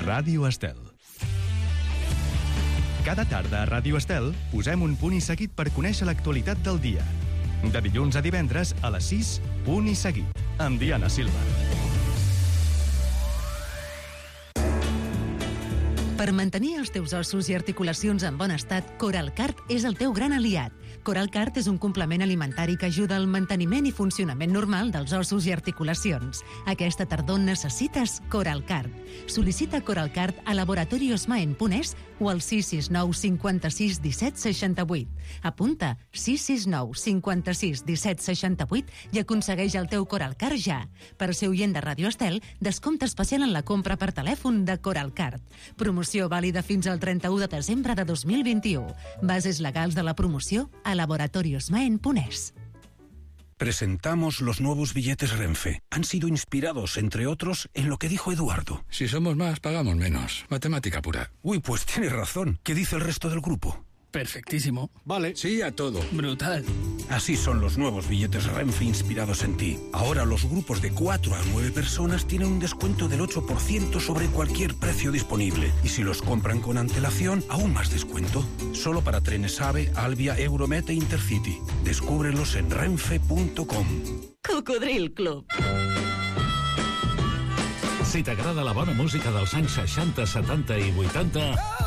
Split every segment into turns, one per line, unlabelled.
Ràdio Estel. Cada tarda a Ràdio Estel posem un punt i seguit per conèixer l'actualitat del dia. De dilluns a divendres a les 6, punt i seguit, amb Diana Silva.
Per mantenir els teus ossos i articulacions en bon estat, Coralcart és el teu gran aliat. Coralcart és un complement alimentari que ajuda al manteniment i funcionament normal dels ossos i articulacions. Aquesta tardor necessites Coralcart. Sol·licita Coralcart a laboratoriosmaen.es o al 669 56 17 68. Apunta 669 56 17 68 i aconsegueix el teu Coralcart ja. Per ser oient de Ràdio Estel, descompte especial en la compra per telèfon de Coralcart. Promoció vàlida fins al 31 de desembre de 2021. Bases legals de la promoció a laboratoriosmaen.es.
Presentamos los nuevos billetes Renfe. Han sido inspirados, entre otros, en lo que dijo Eduardo.
Si somos más, pagamos menos. Matemática pura.
Uy, pues tienes razón. ¿Qué dice el resto del grupo?
Perfectísimo.
Vale.
Sí a todo.
Brutal.
Así son los nuevos billetes Renfe inspirados en ti. Ahora los grupos de 4 a 9 personas tienen un descuento del 8% sobre cualquier precio disponible. Y si los compran con antelación, aún más descuento. Solo para trenes AVE, Alvia, Euromet e Intercity. Descúbrelos en renfe.com.
Cocodril Club.
Si t'agrada la bona música dels anys 60, 70 i 80...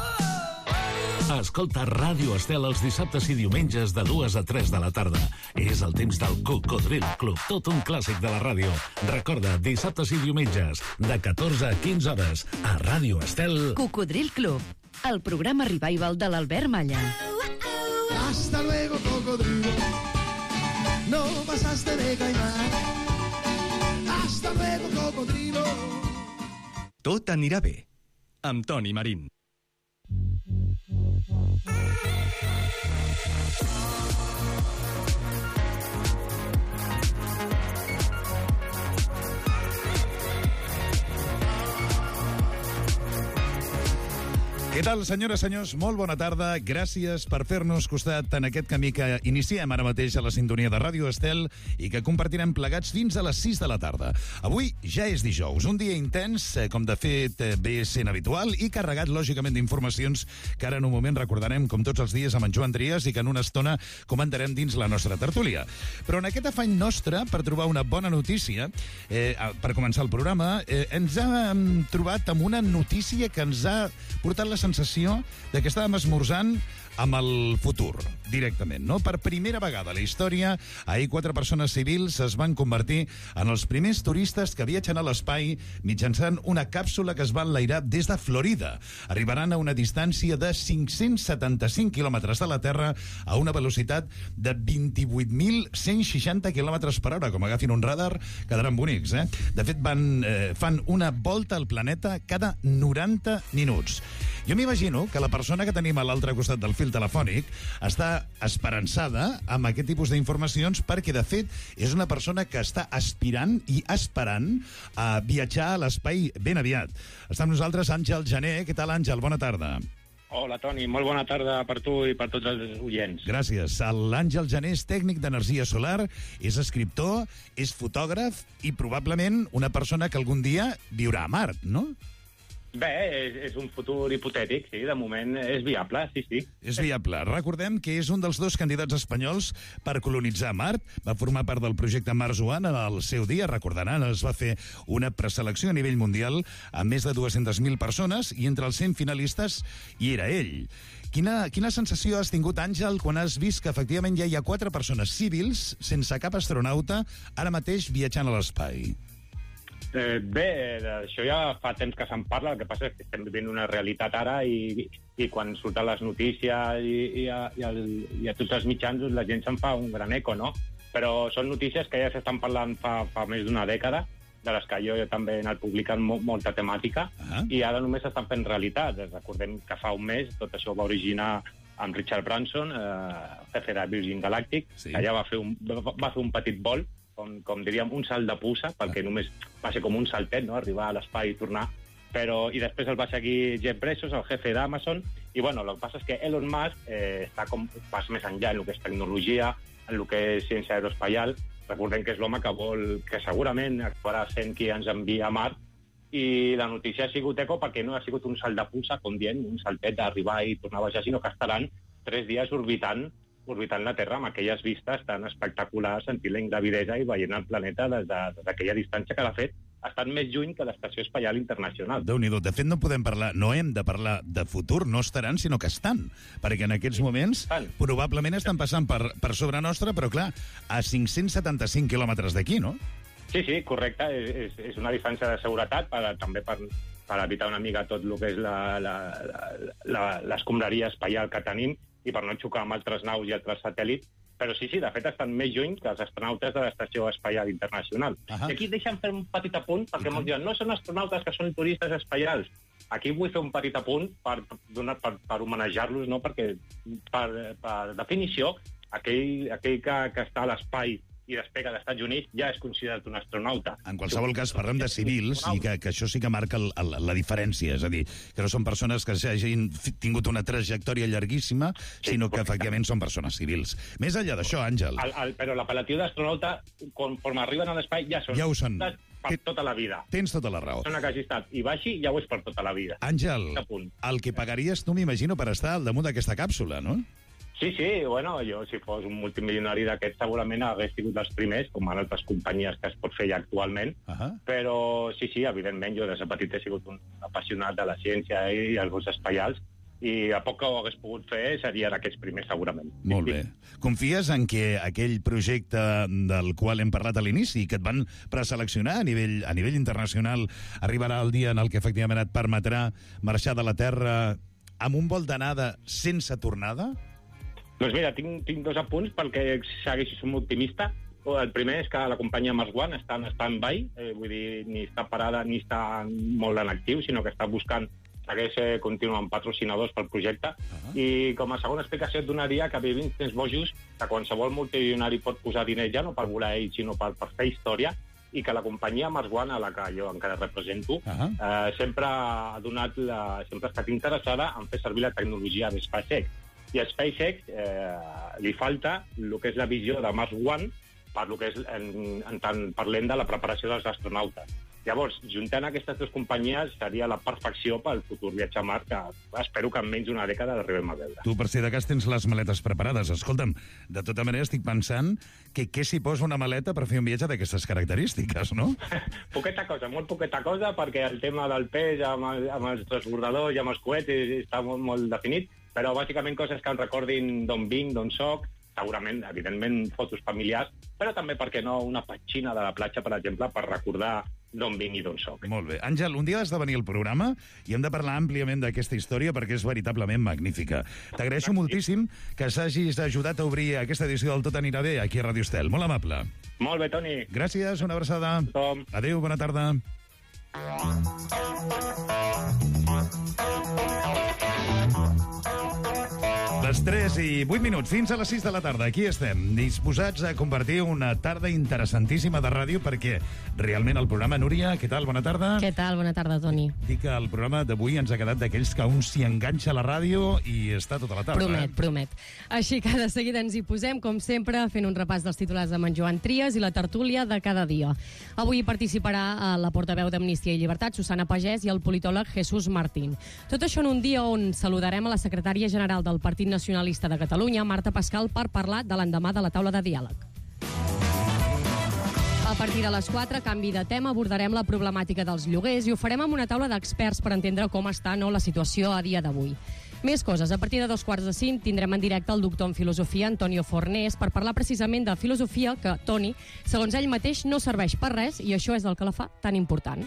Escolta Ràdio Estel els dissabtes i diumenges de 2 a 3 de la tarda. És el temps del Cocodril Club, tot un clàssic de la ràdio. Recorda, dissabtes i diumenges, de 14 a 15 hores, a Ràdio Estel.
Cocodril Club, el programa revival de l'Albert Malla.
Hasta luego, cocodrilo. No pasaste de caimán. Hasta luego, cocodrilo.
Tot anirà bé, amb Toni Marín.
Què tal, senyores, senyors? Molt bona tarda. Gràcies per fer-nos costat en aquest camí que iniciem ara mateix a la sintonia de Ràdio Estel i que compartirem plegats fins a les 6 de la tarda. Avui ja és dijous, un dia intens, com de fet ve sent habitual, i carregat, lògicament, d'informacions que ara en un moment recordarem, com tots els dies, amb en Joan Trias i que en una estona comentarem dins la nostra tertúlia. Però en aquest afany nostre, per trobar una bona notícia, per començar el programa, ens hem trobat amb una notícia que ens ha portat la sensació de que estàvem esmorzant amb el futur, directament, no? Per primera vegada a la història, ahir 4 persones civils es van convertir en els primers turistes que viatgen a l'espai mitjançant una càpsula que es va enlairar des de Florida. Arribaran a una distància de 575 quilòmetres de la Terra a una velocitat de 28.160 quilòmetres per hora. Com agafin un radar, quedaran bonics, eh? De fet, fan una volta al planeta cada 90 minuts. Jo m'imagino que la persona que tenim a l'altre costat del fil telefònic està esperançada amb aquest tipus d'informacions perquè, de fet, és una persona que està aspirant i esperant a viatjar a l'espai ben aviat. Està amb nosaltres Àngel Jané. Què tal, Àngel? Bona tarda.
Hola, Toni. Molt bona tarda per tu i per tots els oients.
Gràcies. L'Àngel Jané és tècnic d'energia solar, és escriptor, és fotògraf i probablement una persona que algun dia viurà a Mart, no?
Bé, és un futur hipotètic, sí, de moment és viable, sí.
És viable. Recordem que és un dels 2 candidats espanyols per colonitzar Mart. Va formar part del projecte Mars One en el seu dia, recordaran, es va fer una preselecció a nivell mundial amb més de 200.000 persones i entre els 100 finalistes hi era ell. Quina sensació has tingut, Àngel, quan has vist que efectivament ja hi ha 4 persones civils sense cap astronauta ara mateix viatjant a l'espai?
Bé, això ja fa temps que se'n parla, el que passa és que estem vivint una realitat ara i quan surten les notícies i a tots els mitjans la gent se'n fa un gran eco, no? Però són notícies que ja s'estan parlant fa més d'una dècada, de les que jo també he anat publicant molta temàtica, i ara només s'estan fent realitat. Recordem que fa un mes tot això va originar amb Richard Branson, jefe de Virgin Galactic, que allà va fer un petit vol, com diríem, un salt de puça, perquè només va ser com un saltet, no?, arribar a l'espai i tornar, i després el va seguir Jeff Bezos, el jefe d'Amazon, i bueno, el que passa és que Elon Musk està com pas més enllà en el que és tecnologia, en el que és ciència aeroespacial. Recordem que és l'home que segurament acabarà sent qui ens envia a Mart, i la notícia ha sigut eco perquè no ha sigut un salt de pulsa, com dient, un saltet d'arribar i tornar a baixar, sinó que estaran 3 dies orbitant la Terra amb aquelles vistes tan espectaculars, sentint la ingravidesa i veient el planeta des d'aquella distància que, de fet, ha estat més lluny que l'Estació Espacial Internacional.
Déu-n'hi-do. De fet, no hem de parlar de futur, no estaran, sinó que estan. Perquè en aquests moments probablement estan passant per sobre nostra, però clar, a 575 quilòmetres d'aquí, no?
Sí, correcte. És una distància de seguretat també per evitar una mica tot el que és l'escombraria espaial que tenim i per no xocar amb altres naus i altres satèl·lits. Però sí, de fet, estan més lluny que els astronautes de l'Estació Espacial Internacional. I aquí deixa'm fer un petit apunt, perquè molts diuen, no són astronautes que són turistes espaials. Aquí vull fer un petit apunt per homenajar-los, no? Perquè, per definició, aquell que està a l'espai i despega dels Estats Units ja és considerat un astronauta.
En qualsevol cas, parlem de civils i que això sí que marca la diferència. És a dir, que no són persones que hagin tingut una trajectòria llarguíssima, sinó que efectivament són persones civils. Més enllà d'això, Àngel...
Però l'apel·latiu d'astronauta, conforme arriben a l'espai, ja ho són. Per tota la vida.
Tens tota la raó.
Persona que hagi estat i baixi, ja ho és per tota la vida.
Àngel, el que pagaries tu, m'imagino, per estar al damunt d'aquesta càpsula, no?
Sí, bueno, jo, si fos un multimilionari d'aquests, segurament hagués sigut dels primers, com en altres companyies que es pot fer ja actualment, però sí, evidentment, jo des de petit he sigut un apassionat de la ciència i els vols espaials, i a poc que ho hagués pogut fer serien aquests primers, segurament.
Molt bé. Confies en que aquell projecte del qual hem parlat a l'inici, que et van preseleccionar a nivell internacional, arribarà el dia en el que efectivament et permetrà marxar de la Terra amb un vol d'anada sense tornada?
Doncs mira, tinc 2 apunts perquè segueixi sent optimista. El primer és que la companyia Mars One està en stand-by, vull dir, ni està parada ni està molt en actiu, sinó que està buscant, segueix continuant patrocinadors pel projecte. I com a segona explicació et donaria que vivim temps bojos que qualsevol multimilionari pot posar diners ja no per volar ell, sinó per fer història, i que la companyia Mars One, a la que jo encara represento, sempre ha estat interessada en fer servir la tecnologia de SpaceX. I a SpaceX li falta el que és la visió de Mars One per lo que és, en tant parlem de la preparació dels astronautes. Llavors, juntant aquestes 2 companyies seria la perfecció pel futur viatge a Mart, que espero que en menys d'una dècada l'arribem a veure.
Tu, per si de cas, tens les maletes preparades. Escolta'm, de tota manera estic pensant que què s'hi posa una maleta per fer un viatge d'aquestes característiques, no?
Poqueta cosa, molt poqueta cosa, perquè el tema del pes amb els transbordadors i amb els coets està molt definit, però bàsicament coses que em recordin d'on vinc, d'on soc, segurament, evidentment, fotos familiars, però també, per què no, una petxina de la platja, per exemple, per recordar d'on vinc i d'on soc.
Molt bé. Àngel, un dia has de venir al programa i hem de parlar àmpliament d'aquesta història perquè és veritablement magnífica. T'agraeixo moltíssim que s'hagis ajudat a obrir aquesta edició del Tot anirà bé aquí a Ràdio Estel. Molt amable.
Molt bé, Toni.
Gràcies, una abraçada. Adéu, bona tarda. Les 3 i 8 minuts, fins a les 6 de la tarda. Aquí estem, disposats a compartir una tarda interessantíssima de ràdio, perquè realment el programa... Núria, què tal? Bona tarda.
Què tal? Bona tarda, Toni.
Dic que el programa d'avui ens ha quedat d'aquells que un s'hi enganxa a la ràdio i està tota la tarda.
Promet. Així que de seguida ens hi posem, com sempre, fent un repàs dels titulars amb en Joan Trias i la tertúlia de cada dia. Avui participarà la portaveu d'Amnistia i Llibertat, Susana Pagès, i el politòleg Jesús Martín. Tot això en un dia on saludarem a la secretària general del Partit Nacionalista de Catalunya, Marta Pascal, per parlar de l'endemà de la taula de diàleg. A partir de les 4, canvi de tema, abordarem la problemàtica dels lloguers i ho farem amb una taula d'experts per entendre com està la situació a dia d'avui. Més coses. A partir de 2:45 tindrem en directe el doctor en filosofia Antonio Fornés per parlar precisament de filosofia que, Toni, segons ell mateix, no serveix per res i això és el que la fa tan important.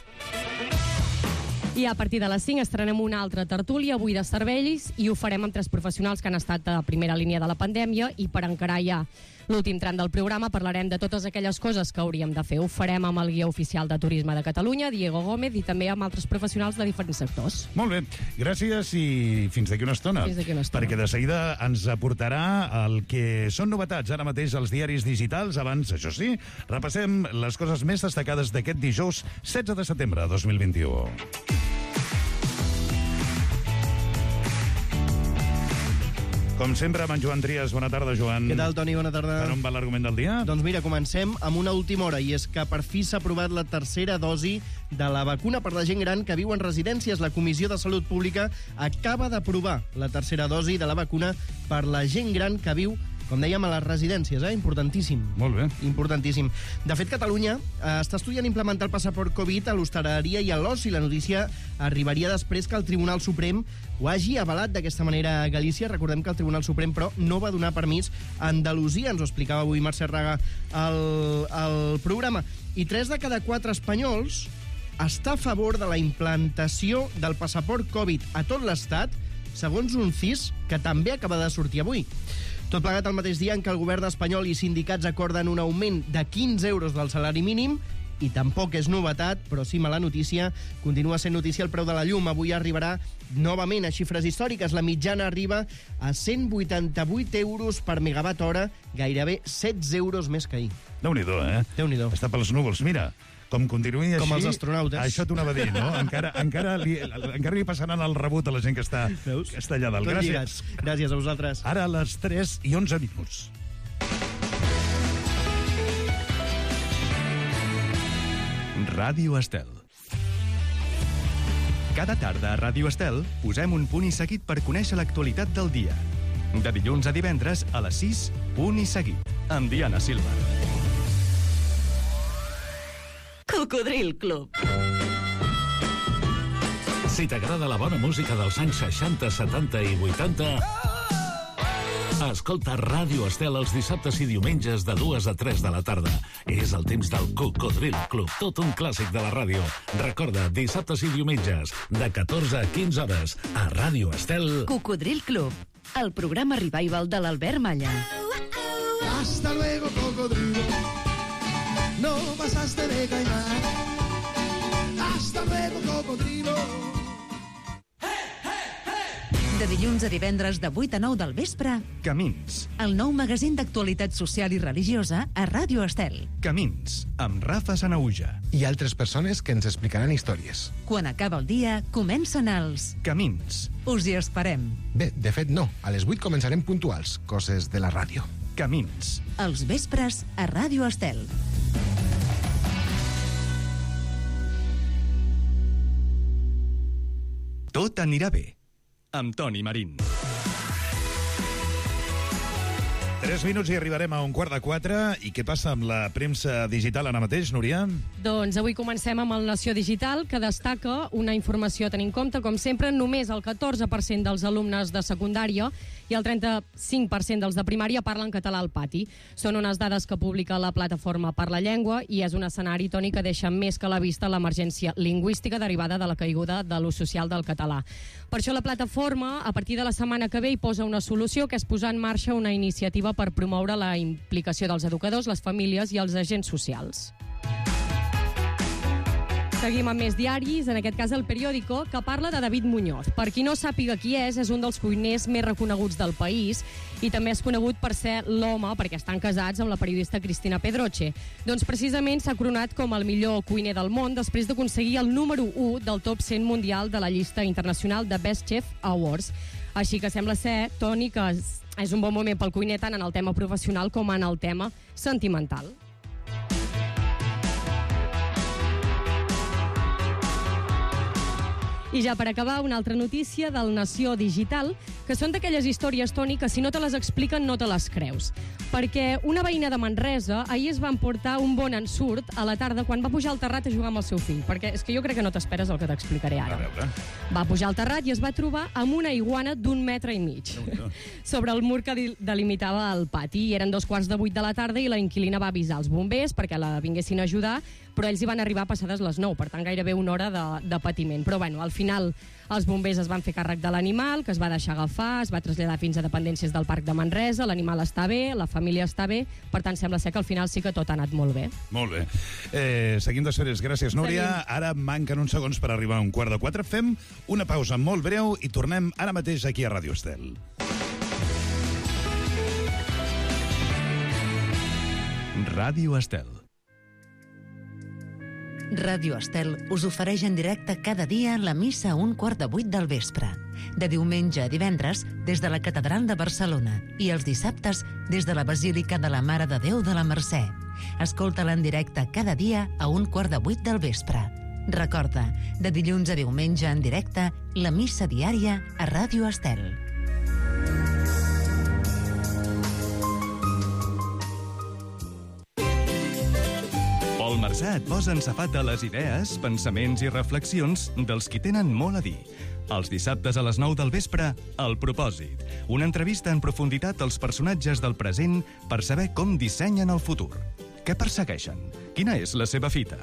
I a partir de les 5 estrenem una altra tertúlia, avui de cervells, i ho farem amb 3 professionals que han estat a primera línia de la pandèmia, i per encarar ja l'últim tram del programa parlarem de totes aquelles coses que hauríem de fer. Ho farem amb el guia oficial de Turisme de Catalunya, Diego Gómez, i també amb altres professionals de diferents sectors.
Molt bé, gràcies i fins d'aquí una estona. Perquè de seguida ens aportarà el que són novetats ara mateix als diaris digitals. Abans, això sí, repassem les coses més destacades d'aquest dijous 16 de setembre de 2021. Com sempre, amb en Joan Trias. Bona tarda, Joan.
Què tal, Toni? Bona tarda.
Per on va l'argument del dia?
Doncs mira, comencem amb una última hora, i és que per fi s'ha aprovat la tercera dosi de la vacuna per la gent gran que viu en residències. La Comissió de Salut Pública acaba d'aprovar la tercera dosi de la vacuna per la gent gran que viu, com dèiem, a les residències, importantíssim.
Molt bé.
Importantíssim. De fet, Catalunya està estudiant implementar el passaport Covid a l'hostaleria i a l'oci. La notícia arribaria després que el Tribunal Suprem ho hagi avalat d'aquesta manera a Galícia. Recordem que el Tribunal Suprem, però, no va donar permís a Andalusia. Ens ho explicava avui Mercè Raga al programa. I 3 de cada 4 espanyols està a favor de la implantació del passaport Covid a tot l'Estat, segons un CIS que també acaba de sortir avui. Tot plegat al mateix dia en què el govern espanyol i sindicats acorden un augment de 15 euros del salari mínim, i tampoc és novetat, però sí mala notícia, continua sent notícia el preu de la llum. Avui arribarà novament a xifres històriques. La mitjana arriba a 188 euros per megawatt hora, gairebé 16 euros més que ahir.
Déu-n'hi-do,
Déu-n'hi-do.
Està pels núvols. Mira, com continuï així...
Com els astronautes.
Això t'ho anava a dir, no? Encara li passaran el rebut a la gent que està allà dalt. Gràcies.
Gràcies a vosaltres.
Ara a les 3:11 minuts.
Ràdio Estel. Cada tarda a Ràdio Estel posem un punt i seguit per conèixer l'actualitat del dia. De dilluns a divendres a les 6, punt i seguit, amb Diana Silva.
Cocodril Club.
Si t'agrada la bona música dels anys 60, 70 i 80... Escolta Ràdio Estel els dissabtes i diumenges de 2 a 3 de la tarda. És el temps del Cocodril Club, tot un clàssic de la ràdio. Recorda, dissabtes i diumenges, de 14 a 15 hores, a Ràdio Estel...
Cocodril Club, el programa revival de l'Albert Malla.
Hasta luego, cocodrilo. No pasaste de caimán. Hasta luego, cocodrilo.
De dilluns a divendres de 8 a 9 del vespre,
Camins.
el nou magazín d'actualitat social i religiosa a Ràdio Estel.
Camins, amb Rafa Sanauja.
I altres persones que ens explicaran històries.
Quan acaba el dia, comencen els...
Camins.
Us hi esperem.
Bé, de fet no. A les 8 començarem puntuals, coses de la ràdio.
Camins.
Els vespres a Ràdio Estel.
Tot anirà bé, amb Toni Marín.
3 minuts i arribarem a 3:15. I què passa amb la premsa digital ara mateix, Núria?
Doncs avui comencem amb el Nació Digital, que destaca una informació a tenir en compte. Com sempre, només el 14% dels alumnes de secundària i el 35% dels de primària parlen català al pati. Són unes dades que publica la Plataforma per la Llengua i és un escenari, Toni, que deixa més que a la vista l'emergència lingüística derivada de la caiguda de l'ús social del català. Per això la plataforma, a partir de la setmana que ve, hi posa una solució, que és posar en marxa una iniciativa per promoure la implicació dels educadors, les famílies i els agents socials. Seguim amb més diaris, en aquest cas el Periódico, que parla de David Muñoz. Per qui no sàpiga qui és un dels cuiners més reconeguts del país i també és conegut per ser l'home, perquè estan casats amb la periodista Cristina Pedroche. Doncs precisament s'ha coronat com el millor cuiner del món després d'aconseguir el número 1 del top 100 mundial de la llista internacional de Best Chef Awards. Així que sembla ser, Toni, que és un bon moment pel cuiner tant en el tema professional com en el tema sentimental. I ja per acabar, una altra notícia del Nació Digital, que són d'aquelles històries, Toni, que si no te les expliquen no te les creus. Perquè una veïna de Manresa ahir es va emportar un bon ensurt a la tarda quan va pujar al terrat a jugar amb el seu fill. Perquè és que jo crec que no t'esperes el que t'explicaré ara.
A veure.
Va pujar al terrat i es va trobar amb una iguana d'1,5 metres sobre el mur que delimitava el pati. I eren 7:15 de la tarda i la inquilina va avisar els bombers perquè la vinguessin a ajudar, però ells hi van arribar passades les 9, per tant gairebé una hora de patiment. Però bueno, al final els bombers es van fer càrrec de l'animal, que es va deixar agafar, es va traslladar fins a dependències del Parc de Manresa, l'animal està bé, la família està bé, per tant sembla ser que al final sí que tot ha anat molt bé.
Molt bé. Seguim d'esferes. Gràcies, Núria.
Seguim.
Ara manquen uns segons per arribar a 3:15. Fem una pausa molt breu i tornem ara mateix aquí a Ràdio Estel.
Ràdio Estel.
Ràdio Estel us ofereix en directe cada dia la missa a 7:15 del vespre. De diumenge a divendres, des de la Catedral de Barcelona, i els dissabtes, des de la Basílica de la Mare de Déu de la Mercè. Escolta-la en directe cada dia a 7:15 del vespre. Recorda, de dilluns a diumenge en directe, la missa diària a Ràdio Estel.
Pol Marsà et posa en safata les idees, pensaments i reflexions dels qui tenen molt a dir. Els dissabtes a les 9 del vespre, El Propòsit. Una entrevista en profunditat als personatges del present per saber com dissenyen el futur. Què persegueixen? Quina és la seva fita?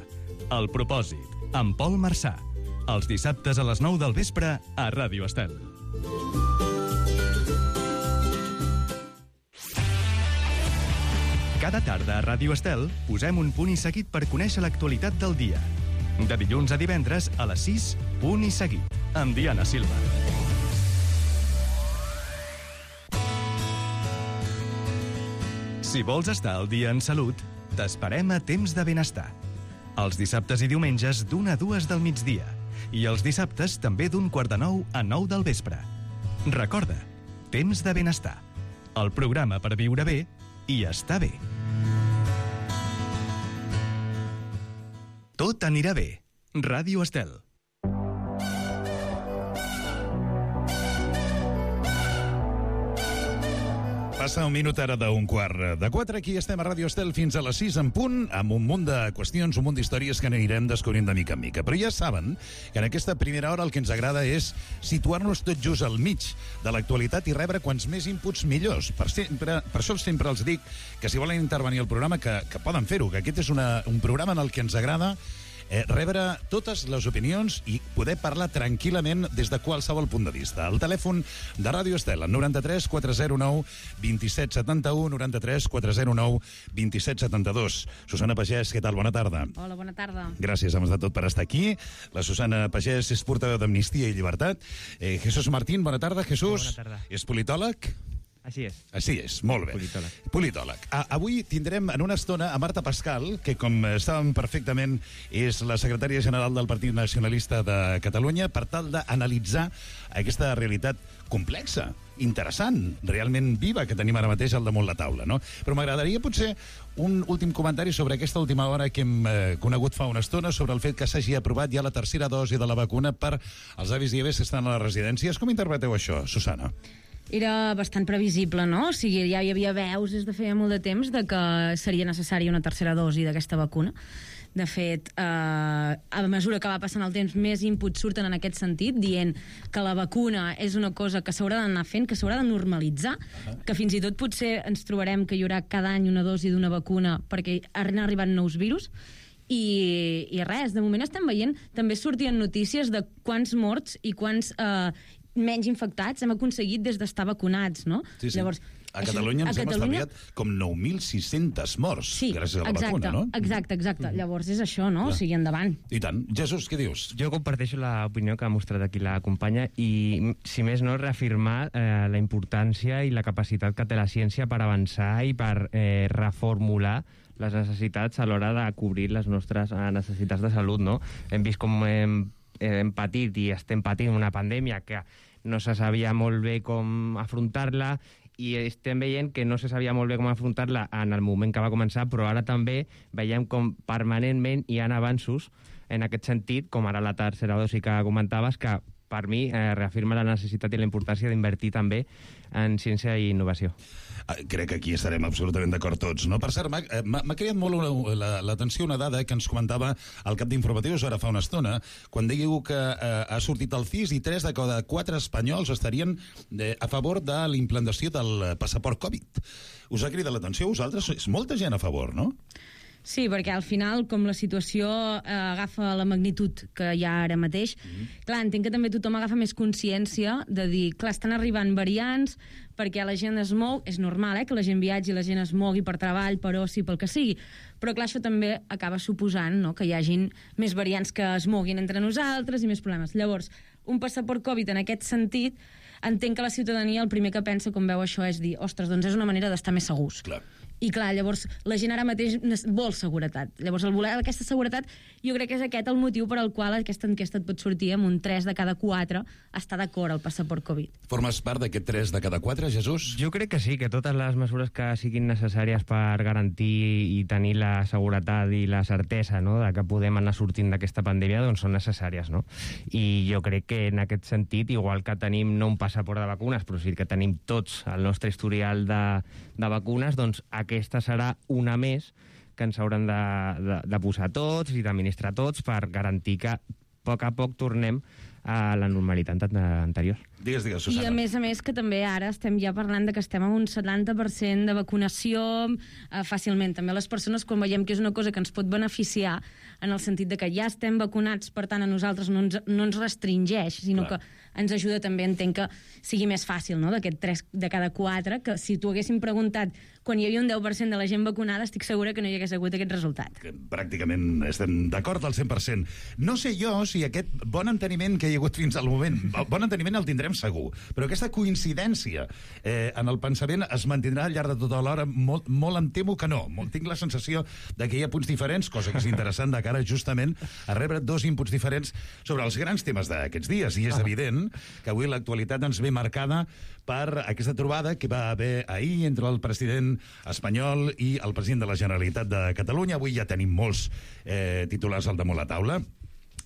El Propòsit, amb Pol Marsà. Els dissabtes a les 9 del vespre a Ràdio Estel. Cada tarda a Ràdio Estel posem un punt i seguit per conèixer l'actualitat del dia. De dilluns a divendres a les 6, Punt i Seguit, amb Diana Silva. Si vols estar al dia en salut, t'esperem a Temps de Benestar. Els dissabtes i diumenges d'1 a 2 del migdia. I els dissabtes també d'8:45 a 9 del vespre. Recorda, Temps de Benestar. El programa per viure bé i estar bé. Tot anirà bé. Ràdio Estel.
Passa un minut ara d'un 3:15. Aquí estem a Ràdio Estel fins a les 6 en punt, amb un munt de qüestions, un munt d'històries que anirem descobrint de mica en mica. Però ja saben que en aquesta primera hora el que ens agrada és situar-nos tot just al mig de l'actualitat i rebre quants més inputs millors. Per això sempre els dic que si volen intervenir al programa que poden fer-ho, que aquest és un programa en el que ens agrada rebre totes les opinions i poder parlar tranquil·lament des de qualsevol punt de vista. El telèfon de Ràdio Estel, el 93 409 2771, 93 409 2772. Susana Pagès, què tal? Bona tarda.
Hola, bona tarda.
Gràcies, hem estat tot per estar aquí. La Susana Pagès és portaveu d'Amnistia i Llibertat. Jesús Martín, bona tarda, Jesús.
Bona tarda.
És politòleg?
Així és.
Així és, molt bé. Politòleg. Avui tindrem en una estona a Marta Pascal, que com estàvem perfectament és la secretària general del Partit Nacionalista de Catalunya, per tal d'analitzar aquesta realitat complexa, interessant, realment viva, que tenim ara mateix al damunt la taula, no? Però m'agradaria potser un últim comentari sobre aquesta última hora que hem conegut fa una estona, sobre el fet que s'hagi aprovat ja la tercera dosi de la vacuna per als avis i àvies que estan a les residències. Com interpreteu això, Susana?
Era bastant previsible, no? O sigui, ja hi havia veus des de feia molt de temps de que seria necessària una tercera dosi d'aquesta vacuna. De fet, a mesura que va passant el temps, més inputs surten en aquest sentit, dient que la vacuna és una cosa que s'haurà d'anar fent, que s'haurà de normalitzar, que fins i tot potser ens trobarem que hi haurà cada any una dosi d'una vacuna perquè han arribat nous virus. I res, de moment estem veient, també sortien notícies de quants morts i quants menys infectats hem aconseguit des d'estar vacunats, no?
Sí, sí. Llavors, a Catalunya ens hem estalviat com 9.600 morts gràcies a la vacuna, no?
Exacte. Llavors és això, no? O sigui, endavant.
I tant. Jesús, què dius?
Jo comparteixo l'opinió que ha mostrat aquí la companya i, si més no, reafirmar la importància i la capacitat que té la ciència per avançar i per reformular les necessitats a l'hora de cobrir les nostres necessitats de salut, no? Hem vist com hem patit i estem patint una pandèmia que no se sabia molt bé com afrontar-la i estem veient que no se sabia molt bé com afrontar-la en el moment que va començar, però ara també veiem com permanentment hi ha avanços en aquest sentit, com ara la tercera dosi que comentaves, que per mi reafirma la necessitat i la importància d'invertir també en ciència i innovació.
Crec que aquí estarem absolutament d'acord tots, no? Per cert, m'ha cridat molt l'atenció una dada que ens comentava el cap d'informatius ara fa una estona, quan dèieu que ha sortit el CIS i 3 de cada 4 espanyols estarien a favor de la implantació del passaport Covid. Us ha cridat l'atenció a vosaltres? És molta gent a favor, no?
Sí, perquè al final, com la situació agafa la magnitud que hi ha ara mateix, clar, entenc que també tothom agafa més consciència de dir, clar, estan arribant variants, perquè la gent es mou, és normal, que la gent viatgi, la gent es mogui per treball, per oci, pel que sigui, però clar, això també acaba suposant, no?, que hi hagin més variants que es moguin entre nosaltres i més problemes. Llavors, un passaport Covid en aquest sentit, entenc que la ciutadania el primer que pensa quan veu això és dir, ostres, doncs és una manera d'estar més segurs.
Clar.
I clar, llavors la gent ara mateix vol seguretat. Llavors el voler aquesta seguretat jo crec que és aquest el motiu per al qual aquesta enquesta et pot sortir amb un 3 de cada 4 està d'acord al passaport Covid.
Formes part d'aquest 3 de cada 4, Jesús?
Jo crec que sí, que totes les mesures que siguin necessàries per garantir i tenir la seguretat i la certesa, no?, de que podem anar sortint d'aquesta pandèmia, doncs són necessàries, no? I jo crec que en aquest sentit, igual que tenim no un passaport de vacunes, però sí que tenim tots el nostre historial de vacunes, doncs aquesta serà una més que ens hauran de posar tots i d'administrar tots per garantir que a poc tornem a la normalitat anterior.
Digues, Susana.
I a més que també ara estem ja parlant de que estem amb un 70% de vacunació fàcilment. També les persones, quan veiem que és una cosa que ens pot beneficiar, en el sentit de que ja estem vacunats, per tant a nosaltres no ens restringeix, sinó que ens ajuda també, entenc que sigui més fàcil, no?, d'aquest 3 de cada 4, que si t'ho haguéssim preguntat quan hi havia un 10% de la gent vacunada, estic segura que no hi hagués hagut aquest resultat.
Pràcticament estem d'acord al 100%. No sé jo si aquest bon enteniment que hi ha hagut fins al moment, bon enteniment el tindrem segur, però aquesta coincidència en el pensament es mantindrà al llarg de tota l'hora. Molt em temo que no. Tinc la sensació de que hi ha punts diferents, cosa que és interessant de cara justament a rebre 2 inputs diferents sobre els grans temes d'aquests dies, i és evident que avui l'actualitat ens ve marcada per aquesta trobada que va haver ahir entre el president espanyol i el president de la Generalitat de Catalunya. Avui ja tenim molts titulars al damunt la taula.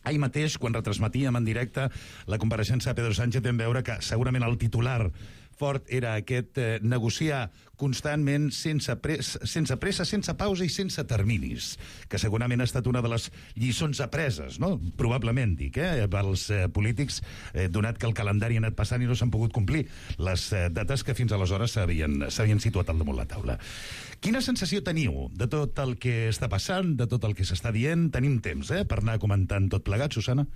Ahir mateix, quan retransmetíem en directe la compareixença de Pedro Sánchez, vam veure que segurament el titular fort era aquest negociar constantment, sense pressa, sense pausa i sense terminis, que segurament ha estat una de les lliçons apreses, no? Probablement, dic, pels polítics, donat que el calendari ha anat passant i no s'han pogut complir les dates que fins aleshores s'havien situat al damunt la taula. Quina sensació teniu de tot el que està passant, de tot el que s'està dient? Tenim temps, per anar comentant tot plegat, Susana?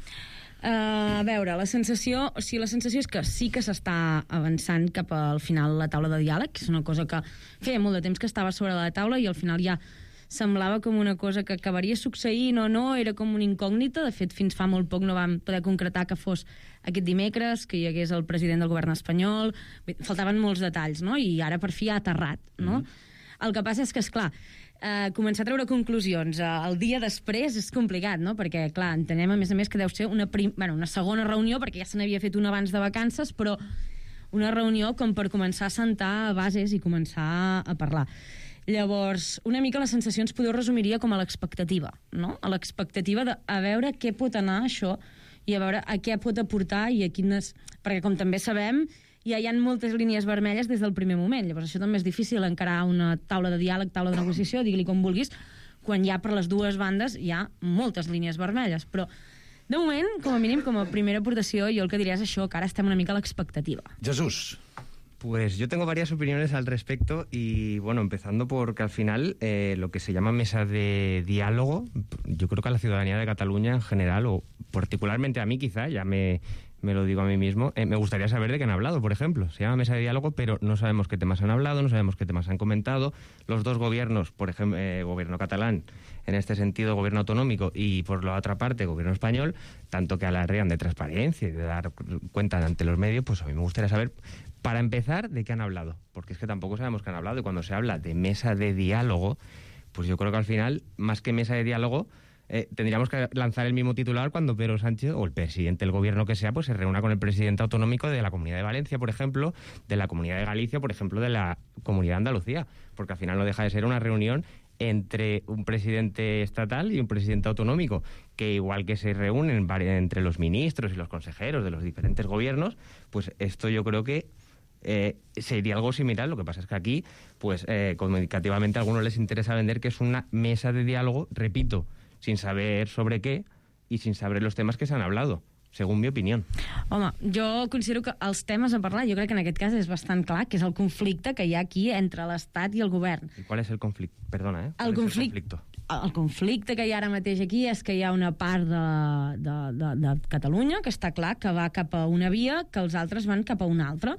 A veure, la sensació és que sí que s'està avançant cap al final la taula de diàleg, que és una cosa que feia molt de temps que estava sobre la taula i al final ja semblava com una cosa que acabaria succeint o no, era com una incògnita. De fet, fins fa molt poc no vam poder concretar que fos aquest dimecres, que hi hagués el president del govern espanyol. Faltaven molts detalls, no? I ara per fi ha aterrat, no? El que passa és que, esclar, començar a treure conclusions el dia després és complicat, no? Perquè, clar, entenem, a més, que deu ser una segona reunió, perquè ja se n'havia fet una abans de vacances, però una reunió com per començar a sentar bases i començar a parlar. Llavors, una mica la sensació ens podeu resumiria com a l'expectativa, no? A l'expectativa de a veure què pot anar això i a veure a què pot aportar i a quines... Perquè, com també sabem, ja hi ha moltes línies vermelles des del primer moment. Llavors això també és difícil encarar una taula de diàleg, taula de negociació, digui-li com vulguis, quan ja per les dues bandes hi ha moltes línies vermelles. Però, de moment, com a mínim, com a primera aportació, jo el que diria és això, que ara estem una mica a l'expectativa.
Jesús.
Pues yo tengo varias opiniones al respecto y, bueno, empezando porque al final lo que se llama mesa de diálogo, yo creo que a la ciudadanía de Cataluña en general, o particularmente a mí quizá, ya me lo digo a mí mismo, me gustaría saber de qué han hablado, por ejemplo. Se llama mesa de diálogo, pero no sabemos qué temas han hablado, no sabemos qué temas han comentado. Los dos gobiernos, por ejemplo, gobierno catalán, en este sentido gobierno autonómico, y por la otra parte gobierno español, tanto que alardean de transparencia y de dar cuenta ante los medios, pues a mí me gustaría saber, para empezar, de qué han hablado, porque es que tampoco sabemos qué han hablado, y cuando se habla de mesa de diálogo, pues yo creo que al final, más que mesa de diálogo, tendríamos que lanzar el mismo titular cuando Pedro Sánchez, o el presidente del gobierno que sea, pues se reúna con el presidente autonómico de la Comunidad de Valencia, por ejemplo, de la Comunidad de Galicia, por ejemplo, de la Comunidad de Andalucía, porque al final no deja de ser una reunión entre un presidente estatal y un presidente autonómico, que igual que se reúnen entre los ministros y los consejeros de los diferentes gobiernos, pues esto yo creo que sería algo similar. Lo que pasa es que aquí, pues comunicativamente a algunos les interesa vender que es una mesa de diálogo, repito, sin saber sobre què i sin saber los temes que s'han hablado, según mi opinió.
Home, jo considero que els temes a parlar, jo crec que en aquest cas és bastant clar, que és el conflicte que hi ha aquí entre l'Estat i el govern.
I qual és el conflicte? Perdona,
El conflicte que hi ha ara mateix aquí és que hi ha una part de Catalunya que està clar que va cap a una via, que els altres van cap a una altra.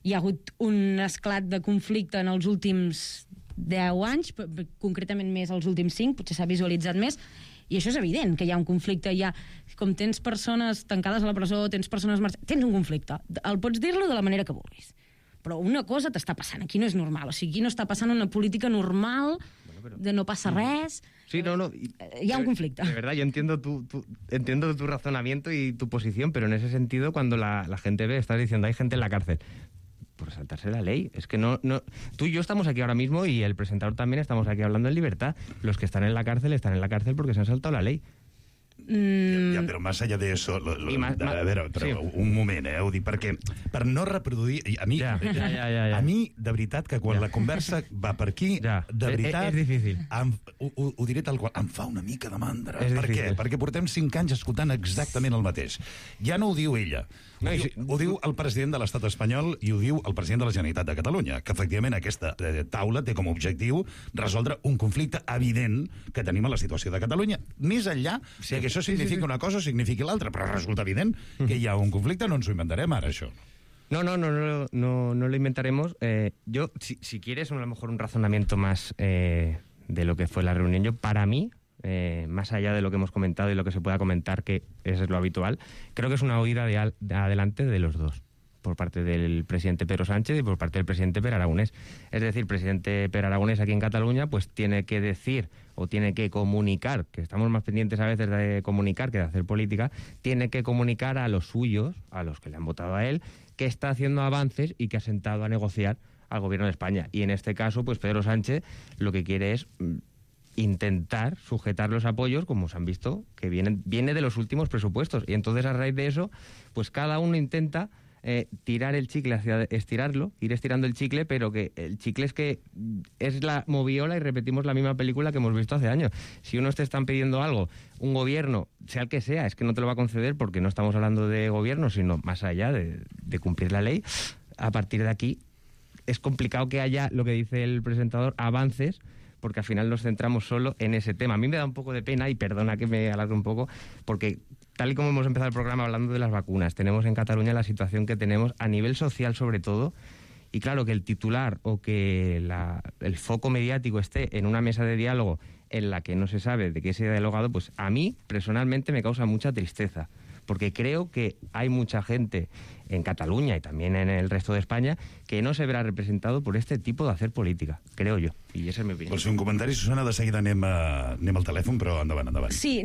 Hi ha hagut un esclat de conflicte en els últims 10 anys, concretament més els últims 5, potser s'ha visualitzat més, i això és evident, que hi ha un conflicte. Hi ha, com tens persones tancades a la presó, tens persones marxant, tens un conflicte. Pots dir-lo de la manera que vulguis. però una cosa t'està passant, aquí no és normal, o sigui, aquí no està passant una política normal, de no passa res...
Sí, no.
Hi ha un conflicte.
De verdad, yo entiendo entiendo tu razonamiento y tu posición, pero en ese sentido, cuando la gente ve, estás diciendo, hay gente en la cárcel, por saltarse la ley. Es que no... Tú y yo estamos aquí ahora mismo y el presentador también estamos aquí hablando en libertad. Los que están en la cárcel porque se han saltado la ley.
Ja, però més allà d'això... A veure, però un moment, ho dic perquè per no reproduir... A mi, a mi de veritat, que quan la conversa va per aquí, de veritat...
És difícil.
Ho diré tal qual, em fa una mica de mandra. Per què? Perquè portem 5 anys escoltant exactament el mateix. Ja no ho diu ella. Ho diu el president de l'Estat espanyol i ho diu el president de la Generalitat de Catalunya, que efectivament aquesta taula té com a objectiu resoldre un conflicte evident que tenim a la situació de Catalunya. Més enllà que això significa una cosa o significa l'altra, però resulta evident que hi ha un conflicte, no ens ho inventarem ara, això.
No lo inventaremos. Yo, si quieres, a lo mejor un razonamiento más de lo que fue la reunión, yo, para mí, más allá de lo que hemos comentado y lo que se pueda comentar, que eso es lo habitual, creo que es una huida adelante de los dos, por parte del presidente Pedro Sánchez y por parte del presidente Pere Aragonés. Es decir, el presidente Pere Aragonés aquí en Cataluña pues tiene que decir o tiene que comunicar, que estamos más pendientes a veces de comunicar que de hacer política, tiene que comunicar a los suyos, a los que le han votado a él, que está haciendo avances y que ha sentado a negociar al gobierno de España. Y en este caso, pues Pedro Sánchez lo que quiere es intentar sujetar los apoyos, como se han visto, que viene de los últimos presupuestos. Y entonces, a raíz de eso, pues cada uno intenta tirar el chicle hacia estirarlo, ir estirando el chicle, pero que el chicle es la moviola y repetimos la misma película que hemos visto hace años. Si unos te están pidiendo algo, un gobierno, sea el que sea, es que no te lo va a conceder porque no estamos hablando de gobierno, sino más allá de cumplir la ley. A partir de aquí es complicado que haya, lo que dice el presentador, avances, porque al final nos centramos solo en ese tema. A mí me da un poco de pena, y perdona que me alargue un poco, porque tal y como hemos empezado el programa hablando de las vacunas, tenemos en Cataluña la situación que tenemos a nivel social sobre todo, y claro, que el titular o que el foco mediático esté en una mesa de diálogo en la que no se sabe de qué se ha dialogado, pues a mí personalmente me causa mucha tristeza, porque creo que hay mucha gente en Cataluña y también en el resto de España que no se verá representado por este tipo de hacer política, creo yo, i esa és la meva opinió.
Vols fer un comentari, Susana? De seguida anem al telèfon, però endavant.
Sí,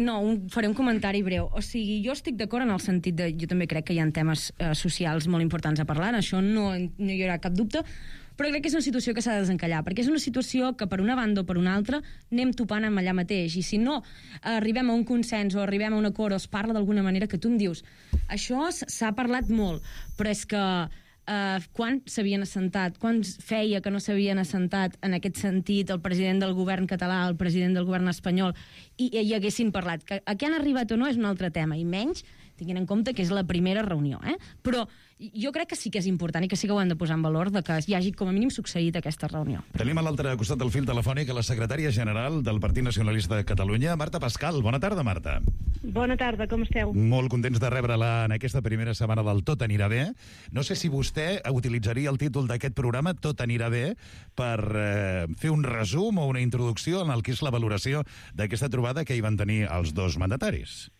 faré un comentari breu. O sigui, jo estic d'acord en el sentit de... Jo també crec que hi ha temes socials molt importants a parlar, això no hi haurà cap dubte, però crec que és una situació que s'ha de desencallar, perquè és una situació que per una banda o per una altra anem topant amb allà mateix, i si no arribem a un consens o arribem a un acord o es parla d'alguna manera, que tu em dius això s'ha parlat molt, però és que quan s'havien assentat, quan feia que no s'havien assentat en aquest sentit el president del govern català, el president del govern espanyol, i haguessin parlat. Que a què han arribat o no és un altre tema, i menys tinguin en compte que és la primera reunió, però jo crec que sí que és important i que sí que ho hem de posar en valor de que hi hagi com a mínim succeït aquesta reunió.
Tenim a l'altre costat del fil telefònic a la secretària general del Partit Nacionalista de Catalunya, Marta Pascal. Bona tarda, Marta.
Bona tarda, com esteu?
Molt contents de rebre-la en aquesta primera setmana del Tot anirà bé. No sé si vostè utilitzaria el títol d'aquest programa, Tot anirà bé, per fer un resum o una introducció en el que és la valoració d'aquesta trobada que hi van tenir els dos mandataris.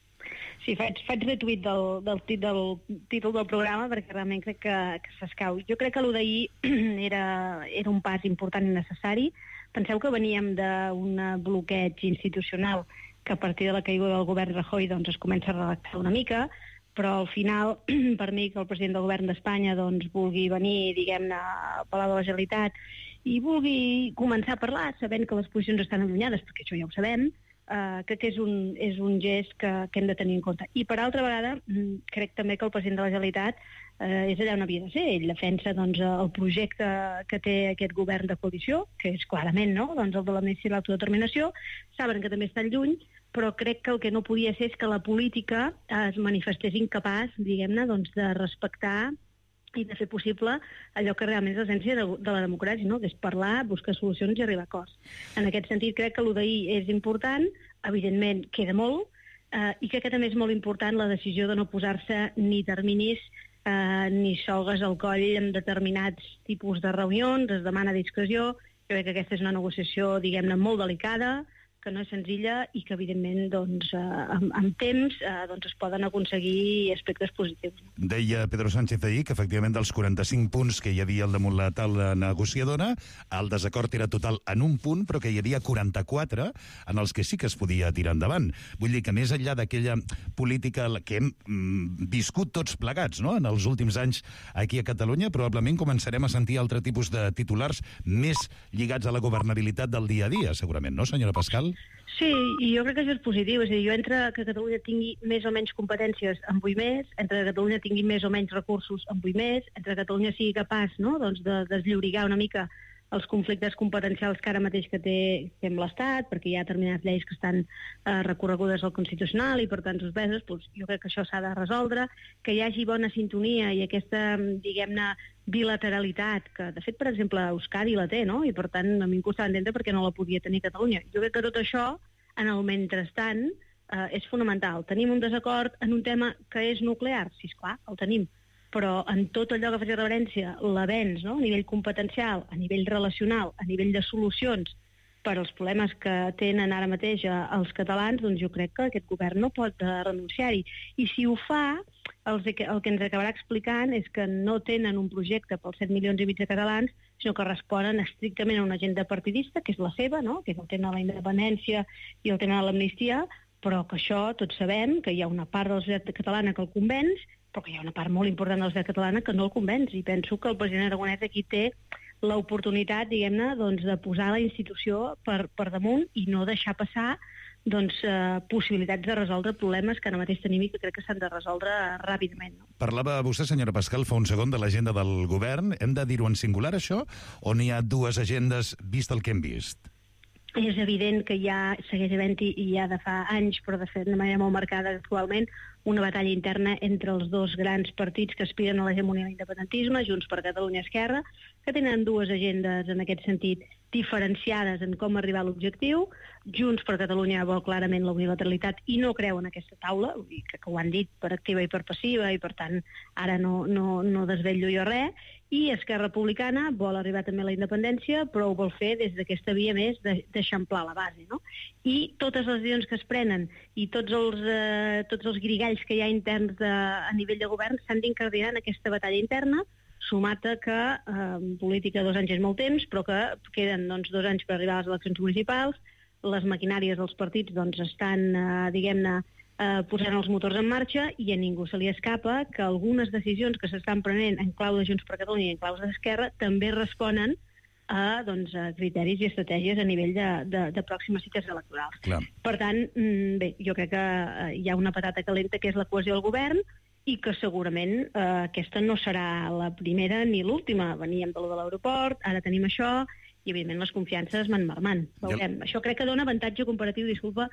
Sí, faig retuit del títol del programa perquè realment crec que s'escau. Jo crec que el d'ahir era un pas important i necessari. Penseu que veníem d'un bloqueig institucional que a partir de la caiguda del govern Rajoy doncs, es comença a relaxar una mica, però al final, per mi, que el president del govern d'Espanya doncs, vulgui venir, diguem-ne, al Palau de la Generalitat i vulgui començar a parlar, sabent que les posicions estan allunyades, perquè això ja ho sabem, crec que és un gest que hem de tenir en compte. I per altra vegada, crec també que el president de la Generalitat és allà on havia de ser. Ell defensa doncs, el projecte que té aquest govern de coalició, que és clarament doncs, el de l'amnistia i l'autodeterminació. Saben que també estan lluny, però crec que el que no podia ser és que la política es manifestés incapaç, diguem-ne, doncs, de respectar i de fer possible allò que realment és l'essència de la democràcia, no? Que és parlar, buscar solucions i arribar a acords. En aquest sentit, crec que el d'ahir és important, evidentment queda molt, i crec que també és molt important la decisió de no posar-se ni terminis ni sogues al coll en determinats tipus de reunions, es demana discreció. Jo crec que aquesta és una negociació, diguem-ne, molt delicada, que no és senzilla i que, evidentment, doncs, amb temps doncs es poden aconseguir aspectes positius.
Deia Pedro Sánchez ahir que, efectivament, dels 45 punts que hi havia al damunt la taula negociadora, el desacord era total en un punt, però que hi havia 44 en els que sí que es podia tirar endavant. Vull dir que, més enllà d'aquella política que hem viscut tots plegats, no?, en els últims anys aquí a Catalunya, probablement començarem a sentir altre tipus de titulars més lligats a la governabilitat del dia a dia, segurament, no, senyora Pascal?
Sí, i jo crec que això és positiu. És a dir, jo entre que Catalunya tingui més o menys competències en vull més, entre que Catalunya tingui més o menys recursos en vull més, entre que Catalunya sigui capaç, no?, doncs de desllorigar una mica els conflictes competencials que ara mateix que té amb l'Estat, perquè hi ha determinades lleis que estan recorregudes al Constitucional i per tant suspeses, doncs jo crec que això s'ha de resoldre, que hi hagi bona sintonia i aquesta, diguem-ne, bilateralitat, que de fet, per exemple, Euskadi la té, no?, i per tant a mi em costava entendre perquè no la podia tenir Catalunya. Jo crec que tot això, en el mentrestant, és fonamental. Tenim un desacord en un tema que és nuclear? Sí, esclar, el tenim. Però en tot allò que faci referència l'avenç, no?, a nivell competencial, a nivell relacional, a nivell de solucions per als problemes que tenen ara mateix els catalans, doncs jo crec que aquest govern no pot renunciar-hi. I si ho fa, el que ens acabarà explicant és que no tenen un projecte pels 7 milions i mig de catalans, sinó que responen estrictament a una agenda partidista, que és la seva, no?, que és el tema de la independència i el tema de l'amnistia, però que això tots sabem que hi ha una part de la societat catalana que el convenç, però que hi ha una part molt important de la societat catalana que no el convenç, i penso que el president Aragonès aquí té l'oportunitat, diguem-ne, doncs, de posar la institució per damunt i no deixar passar doncs, possibilitats de resoldre problemes que ara mateix tenim i que crec que s'han de resoldre ràpidament. No?
Parlava vostè, senyora Pascal, fa un segon de l'agenda del govern. Hem de dir-ho en singular, això, o n'hi ha dues agendes vist el que hem vist?
És evident que ja segueix havent-hi, i ja de fa anys, però de fet de manera molt marcada actualment, una batalla interna entre els dos grans partits que aspiren a l'hegemonia de l'independentisme, Junts per Catalunya i Esquerra, que tenen dues agendes en aquest sentit diferenciades en com arribar a l'objectiu. Junts per Catalunya vol clarament la unilateralitat i no creu en aquesta taula, vull dir que ho han dit per activa i per passiva i per tant ara no desvetllo jo res, i Esquerra Republicana vol arribar també a la independència, però ho vol fer des d'aquesta via més d'eixamplar la base, no? I totes les decisions que es prenen i tots els grigalls que hi ha interns a nivell de govern s'han d'incardinar en aquesta batalla interna, sumat a que en política 2 anys és molt temps, però que queden 2 anys per arribar a les eleccions municipals, les maquinàries dels partits estan, diguem-ne, posant els motors en marxa i a ningú se li escapa que algunes decisions que s'estan prenent en clau de Junts per Catalunya i en clau d'Esquerra també responen a criteris i estratègies a nivell de pròximes cites electorals.
Clar.
Per tant, bé, jo crec que hi ha una patata calenta que és la cohesió del govern i que segurament aquesta no serà la primera ni l'última. Veníem de l'aeroport, ara tenim això, i evidentment les confiances van marmant. Veurem. Això crec que dona avantatge comparatiu, disculpa,